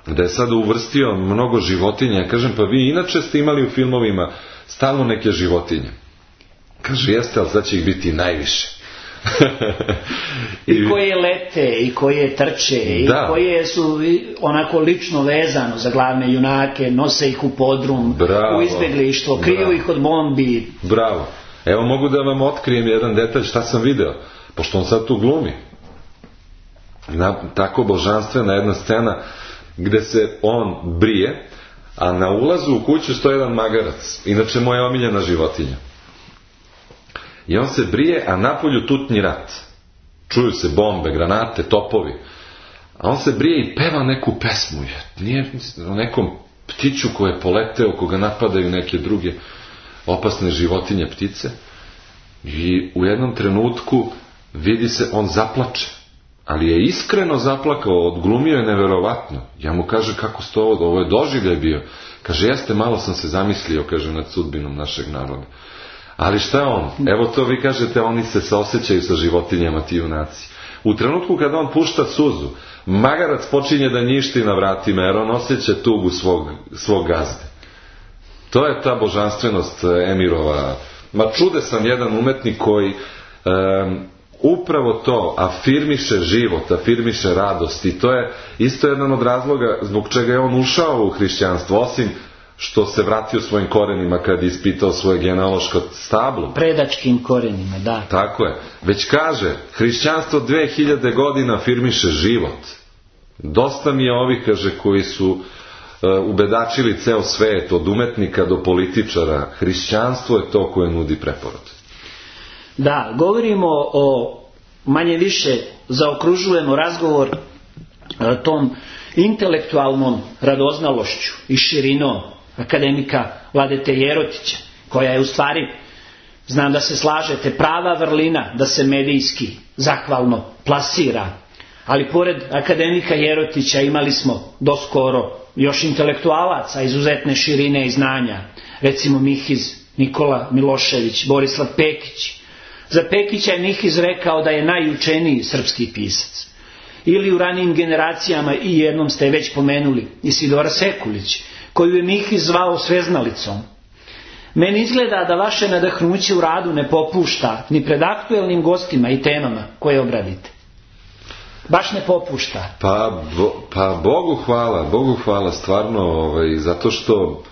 da je sada uvrstio mnogo životinja. Ja kažem, pa vi inače ste imali u filmovima stalno neke životinje. Kaže, jeste, ali sad će ih biti najviše. I koje lete, i koje trče, i koje su onako lično vezano za glavne junake, nose ih u podrum, u izbeglištvo, kriju ih od bombi. Bravo. Evo mogu da vam otkrijem jedan detalj šta sam video, pošto on sad tu glumi. tako božanstvena jedna scena gde se on brije, a na ulazu u kuću stoji jedan magarac, inače moja omiljena životinja. I on se brije, a napolju tutnji rat. Čuju se bombe, granate, topovi. A on se brije i peva neku pesmu. Nije o nekom ptiću koji je poleteo, koga napadaju neke druge opasne životinje, ptice. I u jednom trenutku vidi se, on zaplače. Ali je iskreno zaplakao, odglumio je neverovatno. Ja mu kaže, kako ste ovo je doživljaj bio. Kaže, jeste, malo sam se zamislio, kaže, nad sudbinom našeg naroda. Ali šta je on? Evo to vi kažete, oni se saosećaju sa životinjama, ti junaci. U trenutku kada on pušta suzu, magarac počinje da njišti na vratima, jer on osjeća tugu svog gazde. To je ta božanstvenost Emirova. Ma čudesan jedan umetnik koji upravo to afirmiše život, afirmiše radost, i to je isto jedan od razloga zbog čega je on ušao u hrišćanstvo, osim što se vratio svojim korenima kad je ispitao svoje genealoško stablo. Predačkim korenima, da. Tako je. Već kaže, hrišćanstvo 2000 godina afirmiše život. Dosta mi je ovih, kaže, koji su ubedačili ceo svet, od umetnika do političara. Hrišćanstvo je to koje nudi preporod. Da, govorimo o manje više zaokružujemo razgovor tom intelektualnom radoznalošću i širinom akademika Vladete Jerotića, koja je u stvari, znam da se slažete, prava vrlina da se medijski zahvalno plasira. Ali pored akademika Jerotića imali smo doskoro još intelektualaca izuzetne širine i znanja. Recimo Mihiz Nikola Milošević, Borislav Pekić. Za Pekića je Mihiz rekao da je najučeniji srpski pisac. Ili u ranijim generacijama, i jednom ste već pomenuli, Isidora Sekulić, koju je Mihiz zvao sveznalicom. Meni izgleda da vaše nadahnuće u radu ne popušta ni pred aktuelnim gostima i temama koje obradite. Baš ne popušta. Pa Bogu hvala stvarno, zato što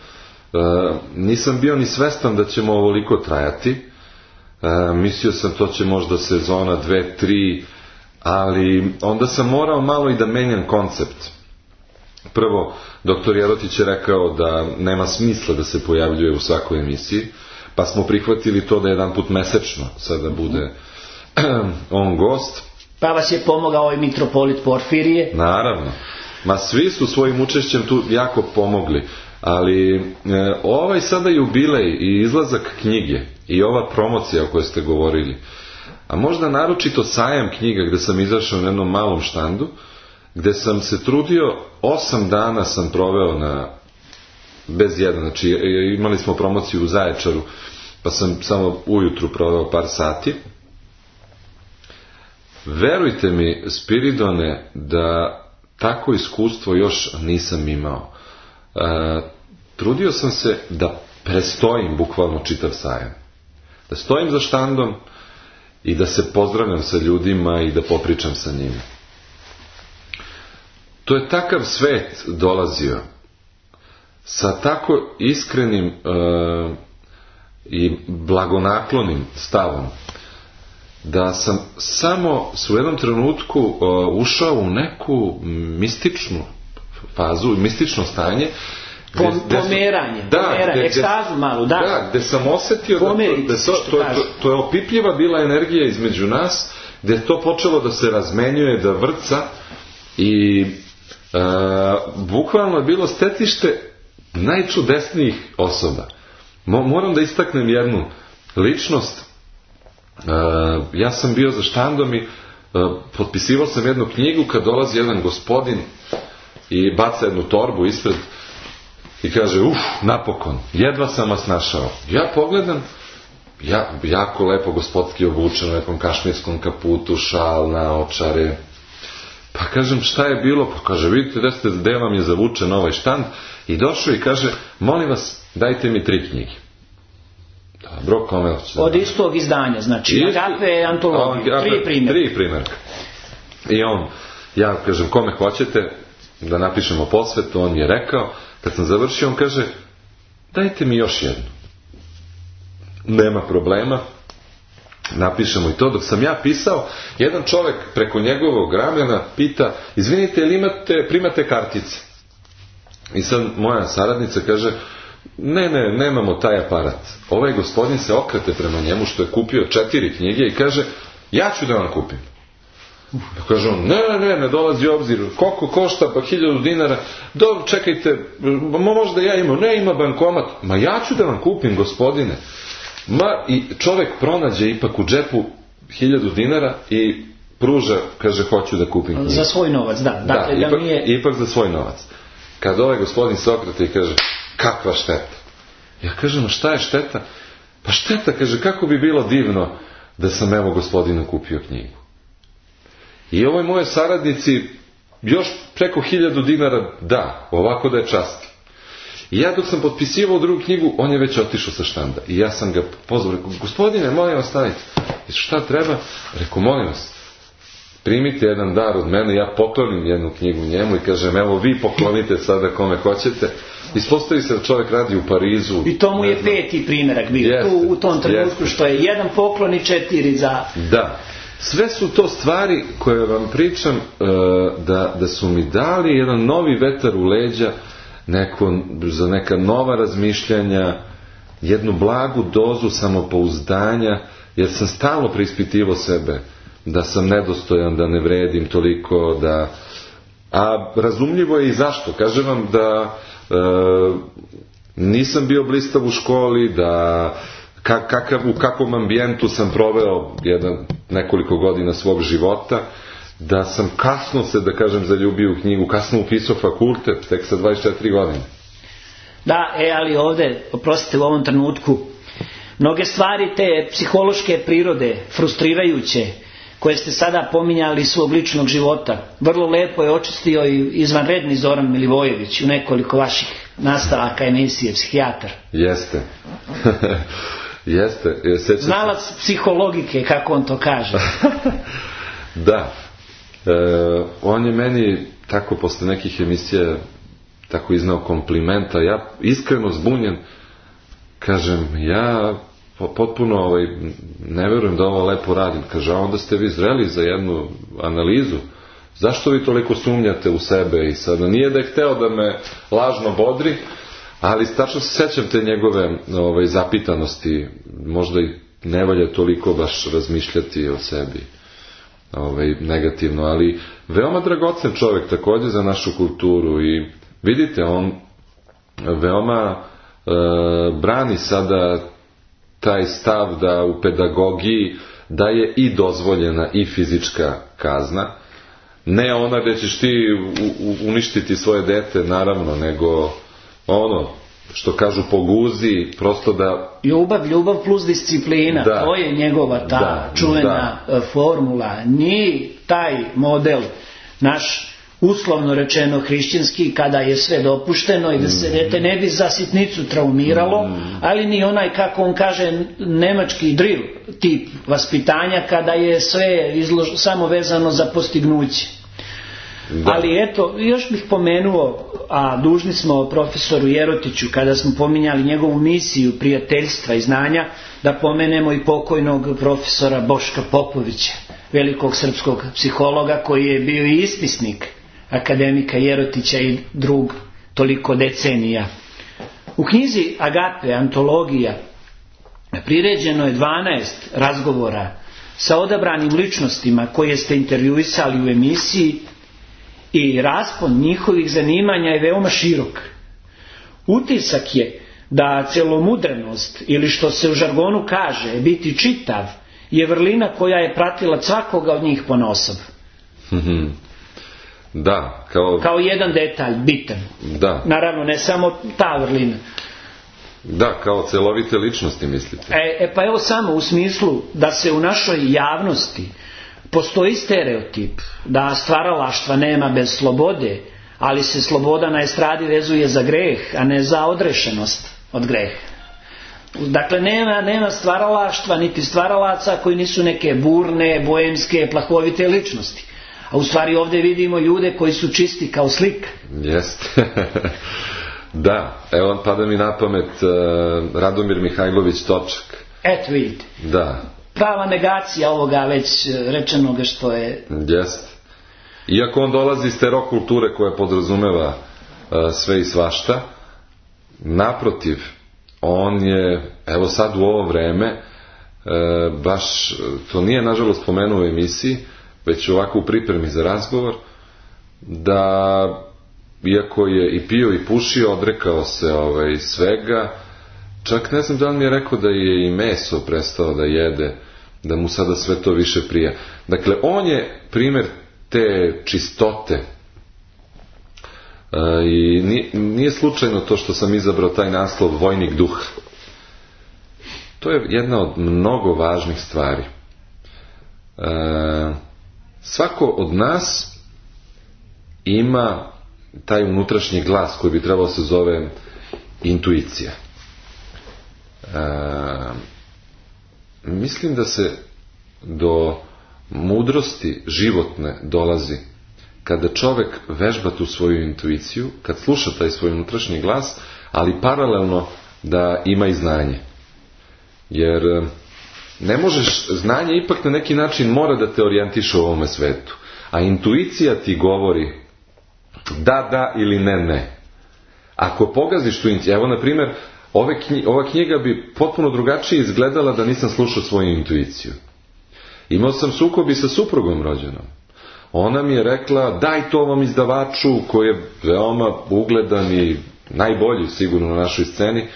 nisam bio ni svestan da ćemo ovoliko trajati. Mislio sam to će možda sezona 2, 3, ali onda sam morao malo i da menjam koncept. Prvo, doktor Jerotić je rekao da nema smisla da se pojavljuje u svakoj emisiji, pa smo prihvatili to da jedan put mesečno sada bude on gost. Pa vas je pomogao i mitropolit Porfirije? Naravno. Ma svi su svojim učešćem tu jako pomogli. Ali ovaj sada jubilej i izlazak knjige i ova promocija o kojoj ste govorili, a možda naročito sajam knjiga gde sam izašao na jednom malom štandu, gde sam se trudio, 8 dana sam proveo bez jedan, znači imali smo promociju u Zaječaru, pa sam samo ujutru proveo par sati. Verujte mi, Spiridone, da tako iskustvo još nisam imao. Trudio sam se da prestojim bukvalno čitav sajam. Da stojim za štandom i da se pozdravljam sa ljudima i da popričam sa njima. To je takav svet dolazio sa tako iskrenim i blagonaklonim stavom, da sam samo u jednom trenutku ušao u neku mističnu fazu, mistično stanje, pomeranje, ekstazu malu, da. Da, gde sam osetio da to je opipljiva bila energija između nas, gde je to počelo da se razmenjuje, da vrca, i bukvalno je bilo stetište najčudesnijih osoba. Moram da istaknem jednu ličnost. Ja sam bio za štandom i potpisivao sam jednu knjigu kad dolazi jedan gospodin i baca jednu torbu ispred i kaže, napokon, jedva sam vas našao. Ja pogledam, jako lepo gospodski obučen u nekom kašmirskom kaputu, šal, naočare. Pa kažem, šta je bilo? Pa kaže, vidite gde vam je zavučen ovaj štand. I došao i kaže, molim vas, dajte mi 3 knjige. Dobro, kome hoće? Od istog izdanja, znači Agape antologiju, 3 primjerka. 3 primjerka. I ja kažem, kome hoćete da napišemo posvetu, on je rekao, kad sam završio, on kaže, dajte mi još jednu. Nema problema. napišemo i to. Dok sam ja pisao, jedan čovek preko njegovog ramena pita, izvinite, ili primate kartice? I sad moja saradnica kaže, ne, nemamo taj aparat. Ovaj gospodin se okrete prema njemu, što je kupio 4 knjige, i kaže, ja ću da vam kupim. Kaže on, ne dolazi u obzir, koliko košta, pa 1000 dinara, dobro, čekajte, možda ja imam, ne, ima bankomat, ma ja ću da vam kupim, gospodine. I čovek pronađe ipak u džepu 1000 dinara i pruža, kaže, hoću da kupim knjigu. Za svoj novac, da. Dakle, ipak za svoj novac. Kad ovaj gospodin se okrete i kaže, kakva šteta? Ja kažem, šta je šteta? Pa šteta, kaže, kako bi bilo divno da sam evo gospodinu kupio knjigu. I ovoj moje saradnici još preko 1000 dinara da, ovako da je čast. I ja dok sam potpisivao drugu knjigu, on je već otišao sa štanda. I ja sam ga pozvao, rekao, gospodine, molim vas, stanite. Šta treba? Rekao, molim vas, primite jedan dar od mene, ja poklonim jednu knjigu njemu i kažem, evo vi poklonite sada kome hoćete. Ispostavi se da čovjek radi u Parizu. I to mu je 5. primjerak bio, tu u tom trenutku, što je 1 poklon i 4 za... Da. Sve su to stvari koje vam pričam da su mi dali jedan novi vetar u leđa, za neka nova razmišljanja, jednu blagu dozu samopouzdanja, jer sam stalno preispitivao sebe, da sam nedostojan, da ne vredim toliko, a razumljivo je i zašto. Kažem vam da nisam bio blistav u školi, da u kakvom ambijentu sam proveo nekoliko godina svog života, da sam kasno se, da kažem, zaljubio u knjigu, kasno upisao fakultet, tek sa 24 godine. Da, ali ovde, oprostite, u ovom trenutku, mnoge stvari te psihološke prirode, frustrirajuće, koje ste sada pominjali svog ličnog života, vrlo lepo je očistio i izvanredni Zoran Milivojević u nekoliko vaših nastavaka emisije Psihijatar. Jeste. Jeste. Znalac psihologike, kako on to kaže. Da. On je meni tako posle nekih emisija tako iznao komplimenta. Ja iskreno zbunjen kažem, ja potpuno ne verujem da ovo lepo radim. Kaže, a onda ste vi zreli za jednu analizu. Zašto vi toliko sumnjate u sebe? I sada nije da je hteo da me lažno bodri, ali tačno se sećam te njegove zapitanosti. Možda i ne valja toliko baš razmišljati o sebi negativno, ali veoma dragocen čovjek također za našu kulturu. I vidite, on veoma brani sada taj stav da u pedagogiji da je i dozvoljena i fizička kazna. Ne ona gdje ćeš ti uništiti svoje dete, naravno, nego ono što kažu po guzi, prosto da... Ljubav plus disciplina, da, to je njegova ta čuvena formula. Nije taj model naš, uslovno rečeno hrišćanski, kada je sve dopušteno i da se dete ne bi za sitnicu traumiralo, ali ni onaj, kako on kaže, nemački drill tip vaspitanja, kada je sve samo vezano za postignuće. Da. Ali eto, još bih pomenuo, a dužni smo profesoru Jerotiću, kada smo pominjali njegovu misiju prijateljstva i znanja, da pomenemo i pokojnog profesora Boška Popovića, velikog srpskog psihologa, koji je bio i ispisnik akademika Jerotića i drug toliko decenija. U knjizi Agape, antologija, priređeno je 12 razgovora sa odabranim ličnostima koje ste intervjuisali u emisiji i raspon njihovih zanimanja je veoma širok. Utisak je da celomudrenost, ili što se u žargonu kaže biti čitav, je vrlina koja je pratila svakoga od njih ponaosob. Da, kao jedan detalj, bitan. Da. Naravno, ne samo ta vrlina. Da, kao celovite ličnosti, mislite? Pa evo samo u smislu da se u našoj javnosti postoji stereotip da stvaralaštva nema bez slobode, ali se sloboda na estradi vezuje za greh, a ne za odrešenost od greha. Dakle, nema stvaralaštva niti stvaralaca koji nisu neke burne, boemske, plahovite ličnosti. A u stvari ovdje vidimo ljude koji su čisti kao slika. Jeste. Da, evo pada mi na pamet Radomir Mihajlović Točak. Eto vidite. Da, prava negacija ovoga već rečenoga što je... Jeste. Iako on dolazi iz te rock kulture koja podrazumeva sve i svašta, naprotiv, on je, evo sad u ovo vreme, baš, to nije nažalost spomenuo u emisiji, već ovako u pripremi za razgovor, da iako je i pio i pušio, odrekao se svega, čak ne znam da li mi je rekao da je i meso prestao da jede, da mu sada sve to više prija. Dakle, on je primjer te čistote i nije slučajno to što sam izabrao taj naslov Vojnik duha. To je jedna od mnogo važnih stvari. Svako od nas ima taj unutrašnji glas koji bi trebao se zove intuicija. Mislim da se do mudrosti životne dolazi kada čovjek vežba tu svoju intuiciju, kad sluša taj svoj unutrašnji glas, ali paralelno da ima i znanje. Jer ne možeš, znanje ipak na neki način mora da te orijentiše u ovome svetu. A intuicija ti govori da ili ne. Ako pogaziš tu intuiciju, evo na primjer, ova knjiga bi potpuno drugačije izgledala da nisam slušao svoju intuiciju. Imao sam sukob i sa suprugom rođenom. Ona mi je rekla, daj to ovom izdavaču koji je veoma ugledan i najbolji sigurno na našoj sceni,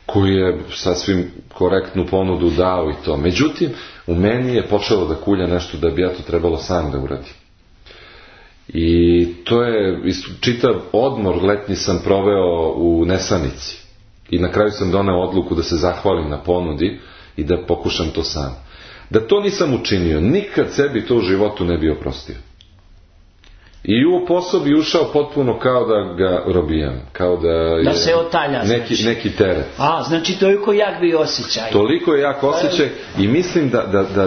koji je sasvim korektnu ponudu dao i to. Međutim, u meni je počelo da kulja nešto da bi ja to trebalo sam da uradim. I to je, čitav odmor letnji sam proveo u nesanici. I na kraju sam doneo odluku da se zahvalim na ponudi i da pokušam to sam. Da to nisam učinio, nikad sebi to u životu ne bi oprostio. I u posao bi ušao potpuno kao da ga robijam, kao da se otalja, neki teret. Znači toliko jak bi osjećaj. Toliko je jak osjećaj i mislim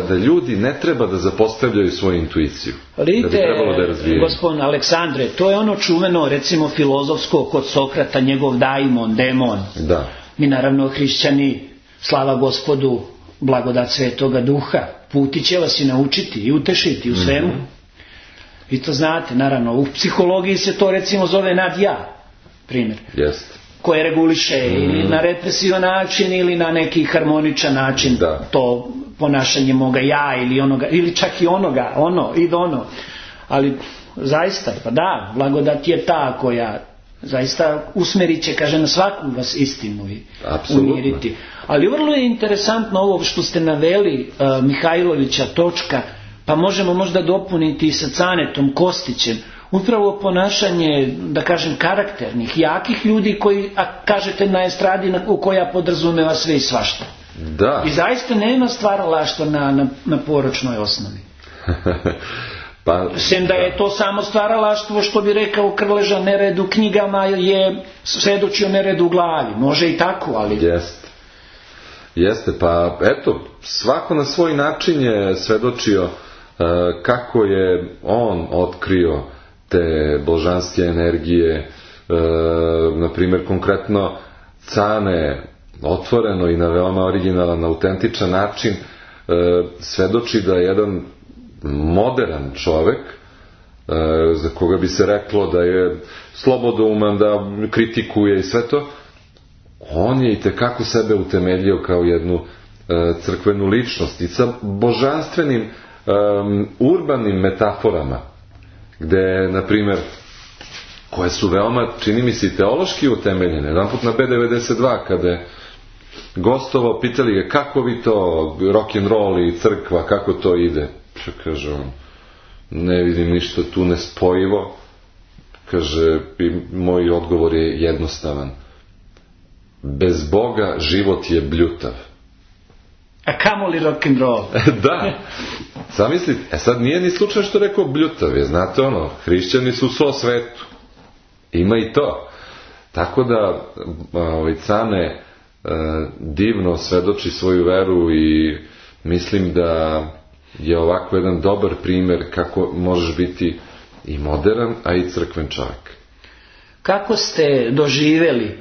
da ljudi ne treba da zapostavljaju svoju intuiciju. Vidite, da bi trebalo da je razvijaju. Gospodin Aleksandre, to je ono čuveno, recimo filozofsko kod Sokrata, njegov daimon, demon. Da. Mi naravno hrišćani, slava Gospodu, blagodat Svetoga Duha, puti će vas i naučiti i utešiti u svemu. Vi to znate, naravno, u psihologiji se to recimo zove nadja, primjer, koje reguliše ili na represivan način ili na neki harmoničan način to ponašanje moga ja ili onoga, ili čak i onoga, ono. Ali zaista, pa da, blagodat je ta koja zaista usmerit će, kaže, na svaku vas istinu i umiriti. Ali vrlo je interesantno ovo što ste naveli Mihajlovića točka, pa možemo možda dopuniti i sa Canetom Kostićem, upravo ponašanje, da kažem, karakternih, jakih ljudi koji, a kažete na estradi koja podrazumeva sve i svašta. Da. I zaista nema stvaralaštva na poročnoj osnovi. Sem da je to samo stvaralaštvo, što bi rekao Krleža, nered u knjigama je svedočio nered u glavi. Može i tako, ali... Jeste, pa eto, svako na svoj način je svedočio kako je on otkrio te božanske energije, na primjer konkretno Cane otvoreno i na veoma originalan, autentičan način svedoči da je jedan modern čovek, za koga bi se reklo da je slobodouman, da kritikuje i sve to, on je itekako sebe utemeljio kao jednu crkvenu ličnost i sa božanstvenim urbanim metaforama, gde, na primjer, koje su veoma, čini mi se, i teološki utemeljene. Jedan put na B92, kada je gostovao, pitali ga kako vi to, rock'n'roll i crkva, kako to ide? Kaže on, ne vidim ništa tu nespojivo. Kaže, moj odgovor je jednostavan. Bez Boga život je bljutav. A kamoli rock'n'roll? Da. Zamislite, sad nije ni slučajno što rekao bljutav, je, znate ono, hrišćani su so svetu. Ima i to. Tako da Cane divno svedoči svoju veru i mislim da je ovako jedan dobar primjer kako možeš biti i modern, a i crkven čovjek. Kako ste doživjeli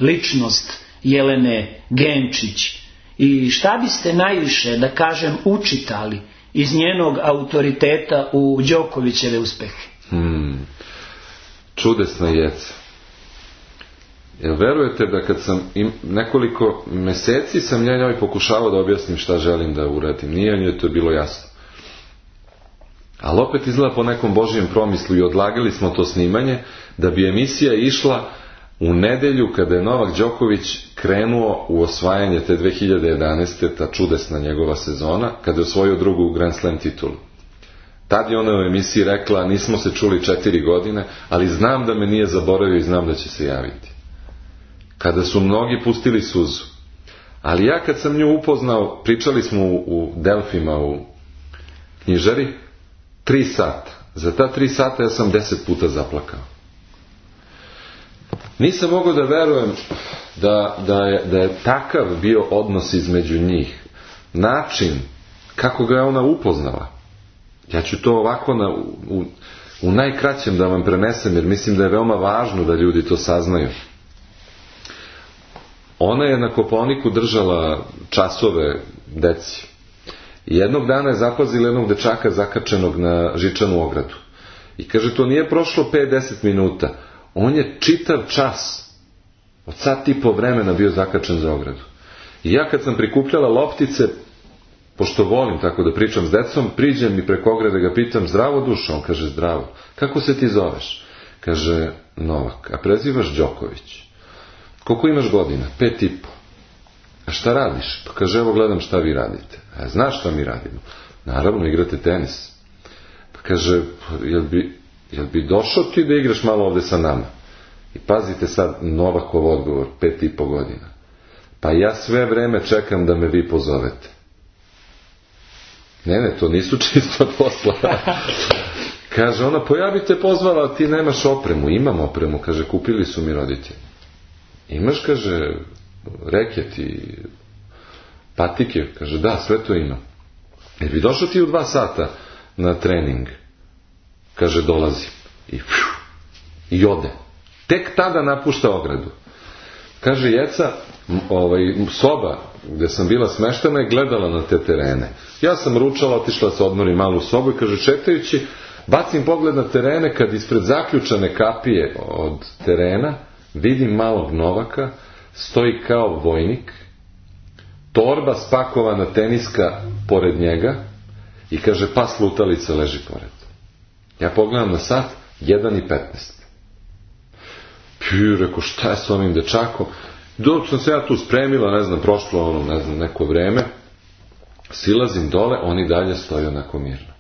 ličnost Jelene Genčić I šta biste najviše, da kažem, učitali iz njenog autoriteta u Đokovićeve uspehe? Čudesna Jeca. Jel verujete da kad sam nekoliko meseci sam njoj pokušavao da objasnim šta želim da uradim. Nije njoj to bilo jasno. Ali opet izgleda po nekom Božijem promislu i odlagali smo to snimanje da bi emisija išla u nedelju kada je Novak Đoković krenuo u osvajanje te 2011. ta čudesna njegova sezona, kada je osvojio drugu Grand Slam titulu. Tad je ona u emisiji rekla, nismo se čuli 4 godine, ali znam da me nije zaboravio i znam da će se javiti. Kada su mnogi pustili suzu. Ali ja kad sam nju upoznao, pričali smo u Delfima u knjižari, 3 sata. Za ta 3 sata ja sam 10 puta zaplakao. Nisam mogao da verujem da je takav bio odnos između njih. Način kako ga je ona upoznala. Ja ću to ovako u najkraćem da vam prenesem, jer mislim da je veoma važno da ljudi to saznaju. Ona je na Kopaoniku držala časove deci. I jednog dana je zapazila jednog dečaka zakačenog na žičanu ogradu. I kaže, to nije prošlo 5-10 minuta. On je čitav čas, od sat i po vremena bio zakačen za ogradu. I ja kad sam prikupljala loptice, pošto volim tako da pričam s decom, priđem i preko ograde ga pitam, zdravo dušo? On kaže, zdravo. Kako se ti zoveš? Kaže, Novak. A prezivaš Đoković. Koliko imaš godina? 5,5. A šta radiš? Pa kaže, evo gledam šta vi radite. A znaš šta mi radimo? Naravno, igrate tenis. Pa kaže, jel bi došao ti da igraš malo ovde sa nama? I pazite sad Novakov odgovor, 5,5 godina. Pa ja sve vreme čekam da me vi pozovete. Ne, to nisu čista posla. Kaže ona, pa ja bi te pozvala, a ti nemaš opremu. Imam opremu, kaže, kupili su mi roditelji. Imaš, kaže, reket i patike? Kaže, da, sve to imam. Jer bi došao ti u 2 sata na trening? Kaže, dolazim. I ode. Tek tada napušta ogradu. Kaže, Jeca, soba gde sam bila smeštena je gledala na te terene. Ja sam ručala, otišla se odmori malu sobu i kaže, čekajući, bacim pogled na terene, kad ispred zaključane kapije od terena vidim malog Novaka, stoji kao vojnik, torba spakovana teniska pored njega i kaže, pas lutalica leži pored. Ja pogledam na sat, 1:15. Rekao, šta je s ovim dečakom? Dok sam se ja tu spremila, ne znam, prošlo neko vreme, silazim dole, on i dalje stoji onako mirno.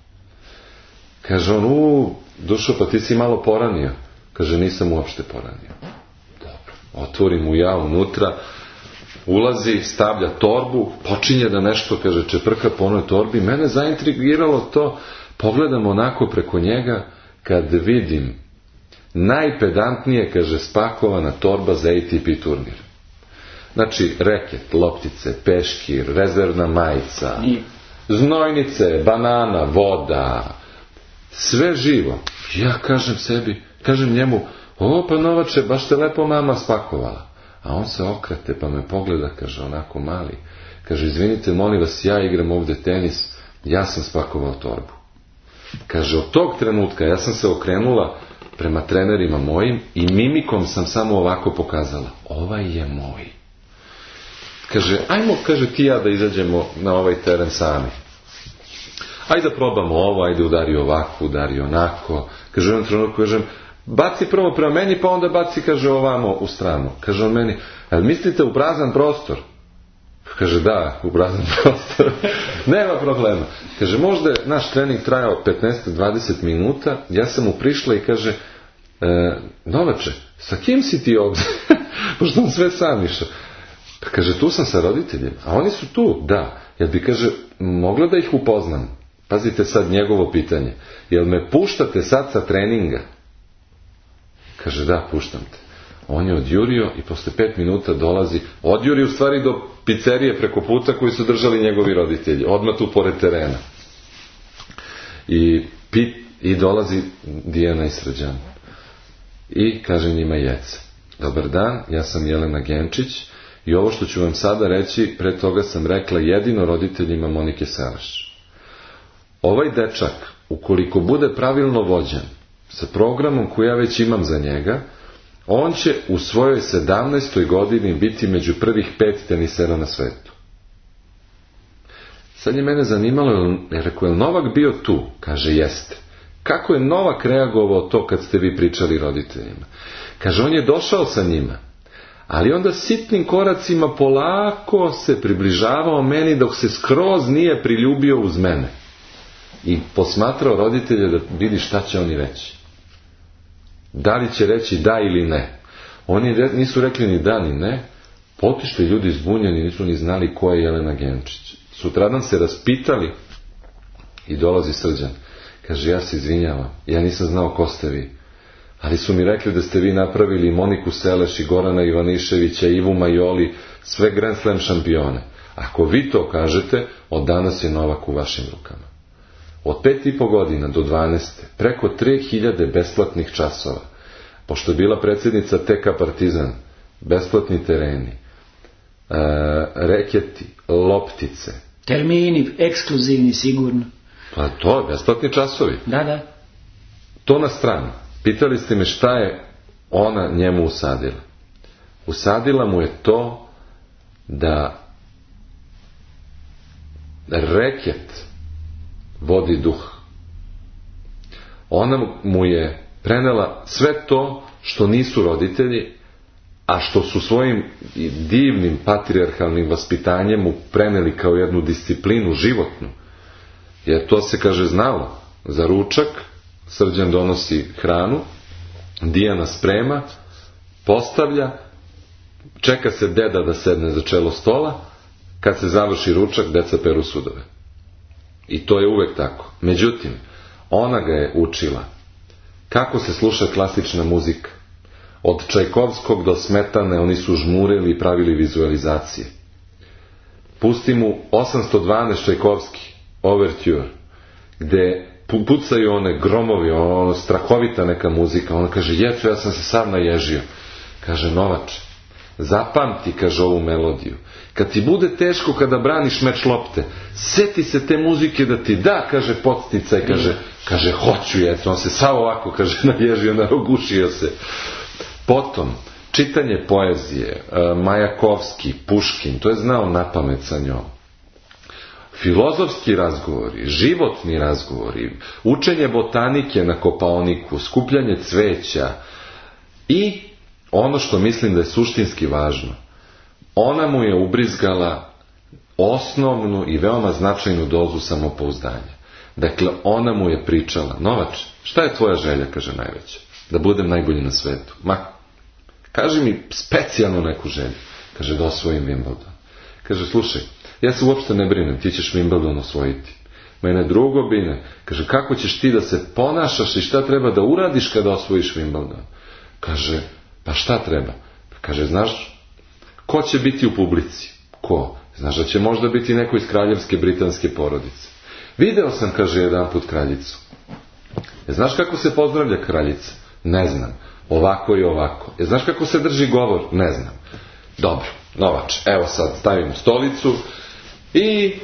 Kaže on, dušo, pa ti si malo poranio. Kaže, nisam uopšte poranio. Dobro, otvorim mu ja unutra, ulazi, stavlja torbu, počinje da nešto, kaže, čeprka po onoj torbi. Mene zaintrigiralo to, pogledam onako preko njega, kad vidim najpedantnije, kaže, spakovana torba za ATP turnir. Znači, reket, loptice, peškir, rezervna majica, znojnice, banana, voda, sve živo. Ja kažem njemu, pa Novače, baš te lepo mama spakovala. A on se okrete pa me pogleda, kaže, onako mali. Kaže, izvinite, molim vas, ja igram ovde tenis, ja sam spakovao torbu. Kaže, od tog trenutka ja sam se okrenula prema trenerima mojim i mimikom sam samo ovako pokazala, ovaj je moj. Kaže, ajmo, kaže, ti ja da izađemo na ovaj teren sami. Ajde da probamo ovo, ajde udari ovako, udari onako. Kaže, u jednom trenutku, kažem, baci prvo prema meni, pa onda baci, kaže, ovamo u stranu. Kaže on meni, ali mislite u prazan prostor? Kaže, da, u prazan prostor. Nema problema. Kaže, možda je naš trening trajao 15-20 minuta, ja sam mu prišla i kaže, Novače, sa kim si ti ovdje? Pošto on sve sam išao. Pa kaže, tu sam sa roditeljima. A oni su tu, da. Jel bi, kaže, mogla da ih upoznam? Pazite sad njegovo pitanje. Jel me puštate sad sa treninga? Kaže, da, puštam te. On je odjurio i posle 5 minuta dolazi. Odjurio u stvari do pizzerije preko puta koju su držali njegovi roditelji. Odmah tu pored terena. I dolazi Dijana i Srđan. I kaže njima Jeca, dobar dan, ja sam Jelena Genčić I ovo što ću vam sada reći, pre toga sam rekla jedino roditeljima Monike Seleš. Ovaj dečak, ukoliko bude pravilno vođen, sa programom koji ja već imam za njega, on će u svojoj 17. godini biti među prvih 5 tenisera na svetu. Sad je mene zanimalo, rekao, je Novak bio tu? Kaže, jeste. Kako je Novak reagovao to kad ste vi pričali roditeljima? Kaže, on je došao sa njima, ali onda sitnim koracima polako se približavao meni dok se skroz nije priljubio uz mene. I posmatrao roditelje da vidi šta će oni reći. Da li će reći da ili ne. Oni nisu rekli ni da ni ne. Otišli ljudi zbunjeni, nisu ni znali ko je Jelena Genčić. Sutradan se raspitali i dolazi Srđan. Kaže, ja se izvinjavam, ja nisam znao ko ste vi. Ali su mi rekli da ste vi napravili Moniku Seleš i Gorana Ivaniševića, Ivu Majoli, sve Grand Slam šampione. Ako vi to kažete, od danas je Novak u vašim rukama. Od 5,5 godina do 12. preko 3000 besplatnih časova. Pošto je bila predsjednica TK Partizan, besplatni tereni, reketi, loptice. Termini, ekskluzivni sigurno. Pa to je besplatni časovi. Da. To na stranu. Pitali ste me šta je ona njemu usadila. Usadila mu je to da reket vodi duh. Ona mu je prenela sve to što nisu roditelji, a što su svojim divnim patrijarhalnim vaspitanjem mu preneli kao jednu disciplinu životnu. Jer to se, kaže, znalo. Za ručak Srđan donosi hranu, Dijana sprema, postavlja, čeka se deda da sedne za čelo stola, kad se završi ručak, deca peru sudove. I to je uvek tako. Međutim, ona ga je učila kako se sluša klasična muzika. Od Čajkovskog do Smetane oni su žmurili i pravili vizualizacije. Pusti mu 812 Čajkovski, Overture, gde pucaju one gromovi, ono strahovita neka muzika. Ona kaže, jeco, ja sam se sam naježio. Kaže, Novače, zapamti, kaže, ovu melodiju. Kad ti bude teško kada braniš meč lopte, seti se te muzike da ti da, kaže, podsticaj, kaže, hoću, jeco. On se sav ovako, kaže, naježio, narogušio se. Potom, čitanje poezije, Majakovski, Puškin, to je znao napamet sa njom. Filozofski razgovori, životni razgovori, učenje botanike na Kopaoniku, skupljanje cveća i ono što mislim da je suštinski važno, ona mu je ubrizgala osnovnu i veoma značajnu dozu samopouzdanja. Dakle, ona mu je pričala, Novač, šta je tvoja želja, kaže, najveća? Da budem najbolji na svetu. Ma, kaži mi specijalno neku želju. Kaže, da osvojim Wimbledon. Kaže, slušaj, ja se uopšte ne brinem, ti ćeš Wimbledon osvojiti. Mene drugo brine. Kaže, kako ćeš ti da se ponašaš i šta treba da uradiš kada osvojiš Wimbledon? Kaže, pa šta treba? Kaže, znaš, ko će biti u publici? Ko? Znaš da će možda biti neko iz kraljevske britanske porodice. Video sam, kaže, jedan put kraljicu. Znaš kako se pozdravlja kraljica? Ne znam. Ovako i ovako. Znaš kako se drži govor? Ne znam. Dobro, Novač, evo sad stavimo stolicu i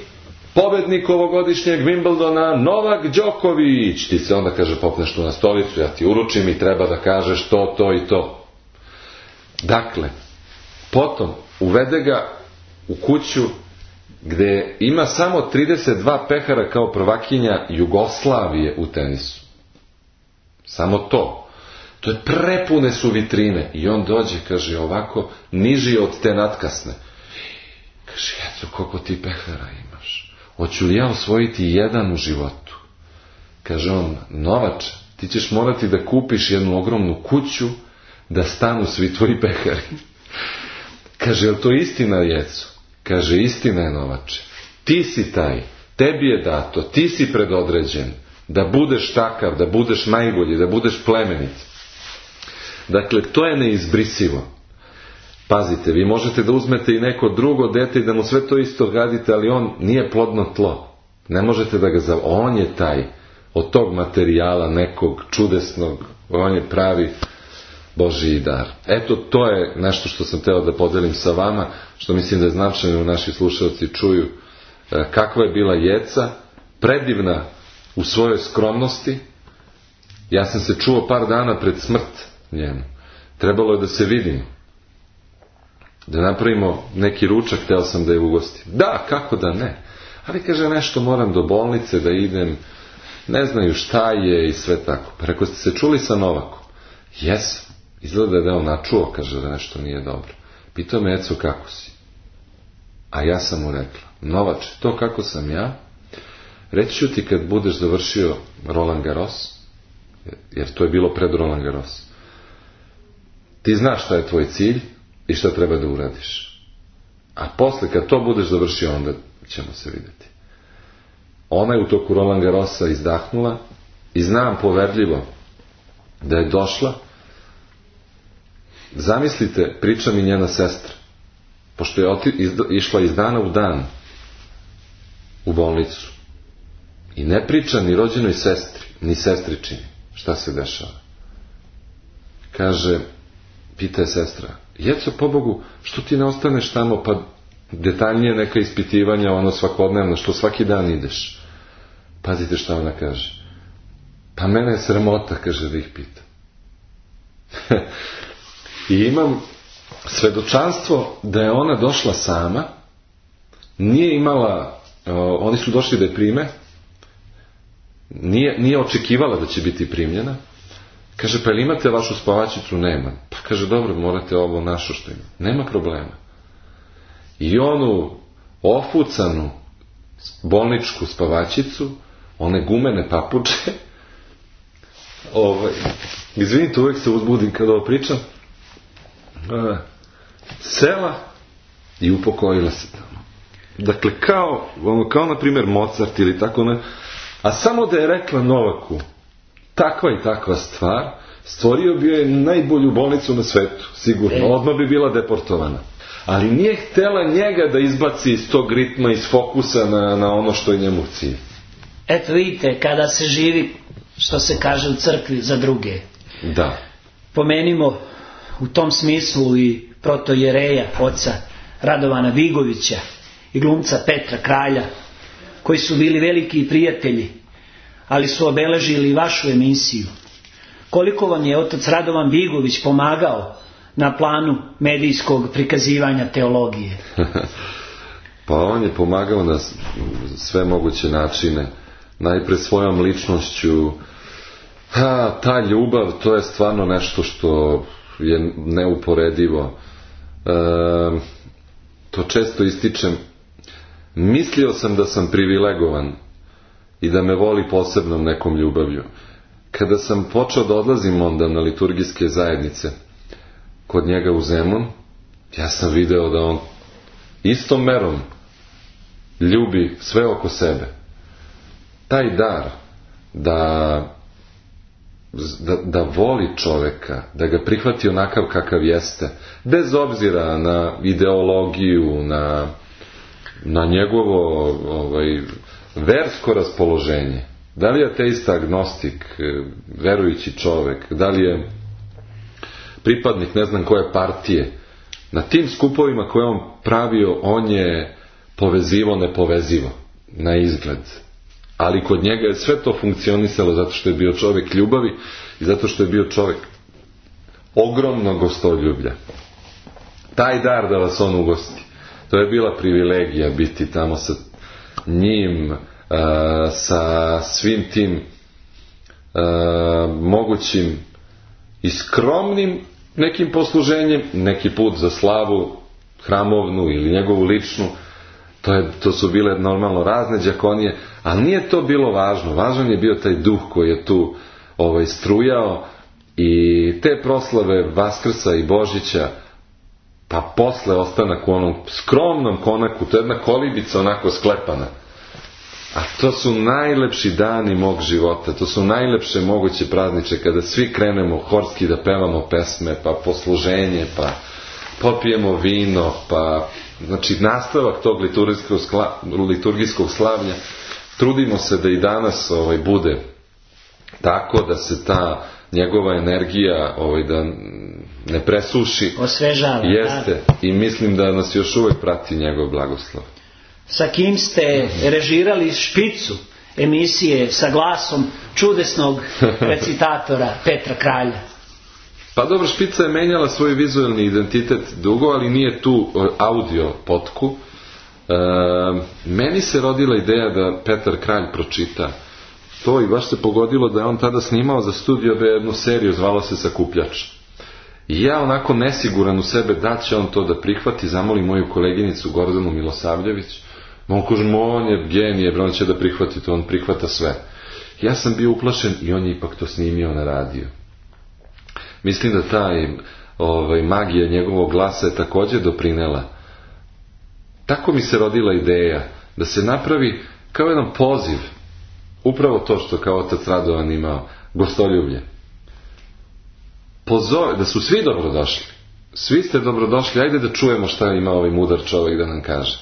pobednik ovogodišnjeg Wimbledona, Novak Đoković. Ti se onda, kaže, popneš tu na stolicu, ja ti uručim i treba da kažeš to, to i to. Dakle, potom uvede ga u kuću gde ima samo 32 pehara kao prvakinja Jugoslavije u tenisu. Samo to. To je prepune su vitrine. I on dođe, kaže, ovako, niži od te natkasne. Kaže, eto, koliko ti pehara imaš? Hoću li ja osvojiti jedan u životu? Kaže on, Novač, ti ćeš morati da kupiš jednu ogromnu kuću da stanu svi tvoji pehari. Kaže, je li to istina, jeco? Kaže, istina je, Novače. Ti si taj, tebi je dato, ti si predodređen da budeš takav, da budeš najbolji, da budeš plemenit. Dakle, to je neizbrisivo. Pazite, vi možete da uzmete i neko drugo dete i da mu sve to isto radite, ali on nije plodno tlo. Ne možete da ga on je taj, od tog materijala nekog čudesnog, on je pravi Božji dar. Eto, to je nešto što sam hteo da podelim sa vama, što mislim da je značajno naši slušalci čuju kakva je bila Jeca, predivna u svojoj skromnosti. Ja sam se čuo par dana pred smrt njenu. Trebalo je da se vidimo. Da napravimo neki ručak, hteo sam da je ugostim. Da, kako da ne. Ali kaže, nešto moram do bolnice da idem, ne znaju šta je i sve tako. Pa rekao, ste se čuli sa Novakom? Jesam. Izgleda da je on načuo, kaže da nešto nije dobro. Pitao me, Eco, kako si? A ja sam mu rekla, Novače, to kako sam ja, reći ću ti kad budeš završio Roland Garros, jer to je bilo pred Roland Garros. Ti znaš šta je tvoj cilj i šta treba da uradiš. A posle, kad to budeš završio, onda ćemo se vidjeti. Ona je u toku Roland Garrosa izdahnula i znam poverljivo da je došla. Zamislite, priča mi njena sestra, pošto je išla iz dana u dan u bolnicu i ne priča ni rođenoj sestri, ni sestričini šta se dešava. Kaže, pita je sestra, Jeco, pobogu, što ti ne ostaneš tamo, pa detaljnije neka ispitivanja, ono svakodnevno, što svaki dan ideš. Pazite šta ona kaže. Pa mene je sramota, kaže, da ih pitam. I imam svedočanstvo da je ona došla sama, nije imala, oni su došli da je prime, nije očekivala da će biti primljena. Kaže, pa ili imate vašu spavačicu? Nema. Pa kaže, dobro, morate ovo našo što ima. Nema problema. I onu ofucanu bolničku spavačicu, one gumene papuče, izvinite, uvijek se uzbudim kada ovo pričam, sela i upokojila se tamo. Dakle, kao na primjer Mozart ili tako ne, a samo da je rekla Novaku takva i takva stvar, stvorio bi je najbolju bolnicu na svetu, sigurno, odmah bi bila deportovana. Ali nije htjela njega da izbaci iz tog ritma, iz fokusa na ono što je njemu cilj. Eto vidite, kada se živi, što se kaže u crkvi, za druge. Da. Pomenimo u tom smislu i protojereja, oca Radovana Vigovića i glumca Petra Kralja, koji su bili veliki prijatelji, ali su obeležili vašu emisiju. Koliko vam je otac Radovan Vigović pomagao na planu medijskog prikazivanja teologije? Pa on je pomagao na sve moguće načine. Najpre svojom ličnošću. Ta ljubav, to je stvarno nešto što je neuporedivo. To često ističem. Mislio sam da sam privilegovan i da me voli posebnom nekom ljubavlju. Kada sam počeo da odlazim onda na liturgijske zajednice kod njega u Zemun, ja sam video da on istom merom ljubi sve oko sebe. Taj dar da voli čoveka, da ga prihvati onakav kakav jeste, bez obzira na ideologiju, na njegovo versko raspoloženje. Da li je ateista, agnostik, verujući čovek, da li je pripadnik ne znam koje partije. Na tim skupovima koje on pravio, on je povezivo nepovezivo, na izgled. Ali kod njega je sve to funkcionisalo zato što je bio čovek ljubavi i zato što je bio čovek ogromnog gostoljublja. Taj dar da vas on ugosti, to je bila privilegija biti tamo sa njim, sa svim tim mogućim i skromnim nekim posluženjem, neki put za slavu hramovnu ili njegovu ličnu. To su bile normalno razne đakonije, ali nije to bilo važno. Važan je bio taj duh koji je tu strujao i te proslave Vaskrsa i Božića, pa posle ostanak u onom skromnom konaku, to je jedna kolibica onako sklepana. A to su najlepši dani mog života, to su najlepše moguće prazniče kada svi krenemo horski da pevamo pesme, pa posluženje, pa popijemo vino, pa znači nastavak tog liturgijskog slavlja. Trudimo se da i danas bude tako da se ta njegova energija da ne presuši. Osvežava. Jeste. I mislim da nas još uvek prati njegov blagoslov. Sa kim ste režirali špicu emisije sa glasom čudesnog recitatora Petra Kralja? Pa dobro, špica je menjala svoj vizualni identitet dugo, ali nije tu audio potku. Meni se rodila ideja da Petar Kralj pročita to i baš se pogodilo da je on tada snimao za Studio B jednu seriju, zvalo se Sakupljač. I ja onako nesiguran u sebe da će on to da prihvati, zamolim moju koleginicu Gordanu Milosavljević. On kaže, on je genije, on će da prihvati to, on prihvata sve. Ja sam bio uplašen i on je ipak to snimio na radio. Mislim da taj magija njegovog glasa je također doprinela. Tako mi se rodila ideja da se napravi kao jedan poziv, upravo to što kao otac Radovan imao, gostoljublje. Pozove, da su svi dobrodošli. Svi ste dobrodošli, ajde da čujemo šta ima ovaj mudar čovjek da nam kaže.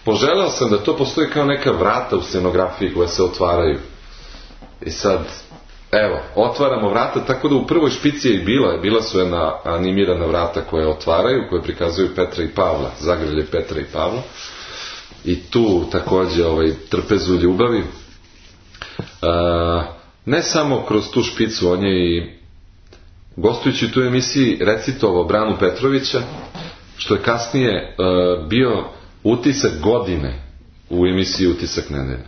Poželeo sam da to postoji kao neka vrata u scenografiji koja se otvaraju. I sad, evo, otvaramo vrata, tako da u prvoj špici je i bila su jedna animirana vrata koje otvaraju, koje prikazuju Petra i Pavla, zagrlje Petra i Pavla. I tu također trpezu ljubavi. Ne samo kroz tu špicu, on je i gostujući u tu emisiji recitovao Branu Petrovića, što je kasnije bio utisak godine u emisiji Utisak nedelje.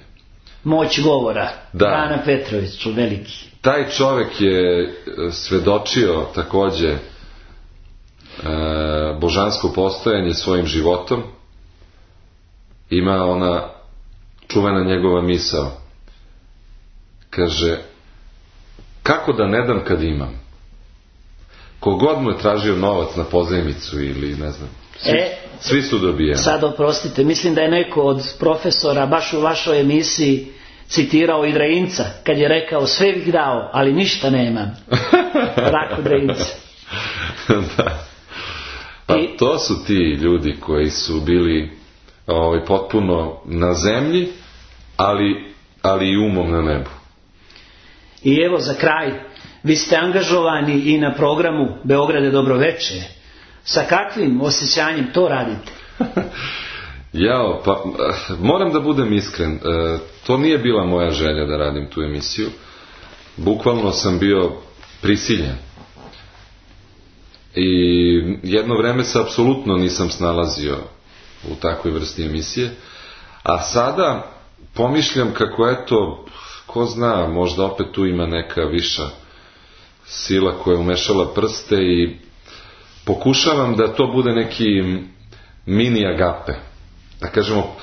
Moć govora. Da. Brana Petrović, veliki. Taj čovjek je svedočio također božansko postojanje svojim životom. Ima ona čuvena njegova misao. Kaže, kako da ne dam kad imam? Kogod mu je tražio novac na pozajmicu ili ne znam, svi su dobijeni. Sad oprostite, mislim da je neko od profesora baš u vašoj emisiji citirao i Dreinca, kad je rekao, sve bih dao, ali ništa nemam. Rako Dreinca. Da. Pa to su ti ljudi koji su bili potpuno na zemlji, ali i umom na nebu. I evo za kraj, vi ste angažovani i na programu Beograd je dobro veče. Sa kakvim osjećanjem to radite? Pa moram da budem iskren. To nije bila moja želja da radim tu emisiju. Bukvalno sam bio prisiljen. I jedno vreme se apsolutno nisam snalazio u takvoj vrsti emisije. A sada pomišljam kako ko zna, možda opet tu ima neka viša sila koja je umešala prste i pokušavam da to bude neki mini agape, da kažemo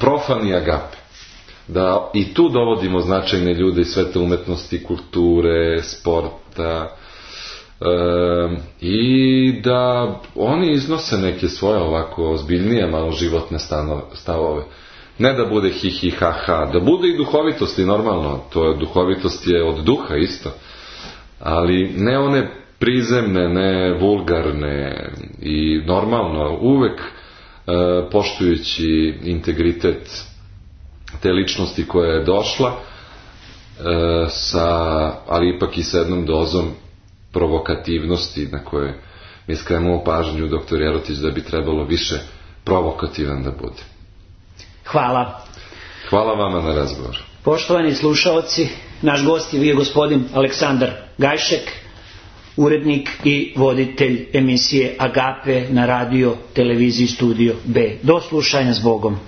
profani agape, da i tu dovodimo značajne ljude iz sveta umetnosti, kulture, sporta, i da oni iznose neke svoje ovako ozbiljnije malo životne stavove. Ne da bude hi hi ha ha, da bude i duhovitosti, normalno, duhovitost je od duha isto, ali ne one prizemne, ne vulgarne i normalno, uvek poštujući integritet te ličnosti koja je došla, ali ipak i sa jednom dozom provokativnosti na koje mi skrenemo pažnju doktor Jerotić da bi trebalo više provokativan da bude. Hvala. Hvala vama na razgovor. Poštovani slušaoci, naš gost je bio gospodin Aleksandar Gajšek, urednik i voditelj emisije Agape na radio televiziji Studio B. Do slušanja s Bogom.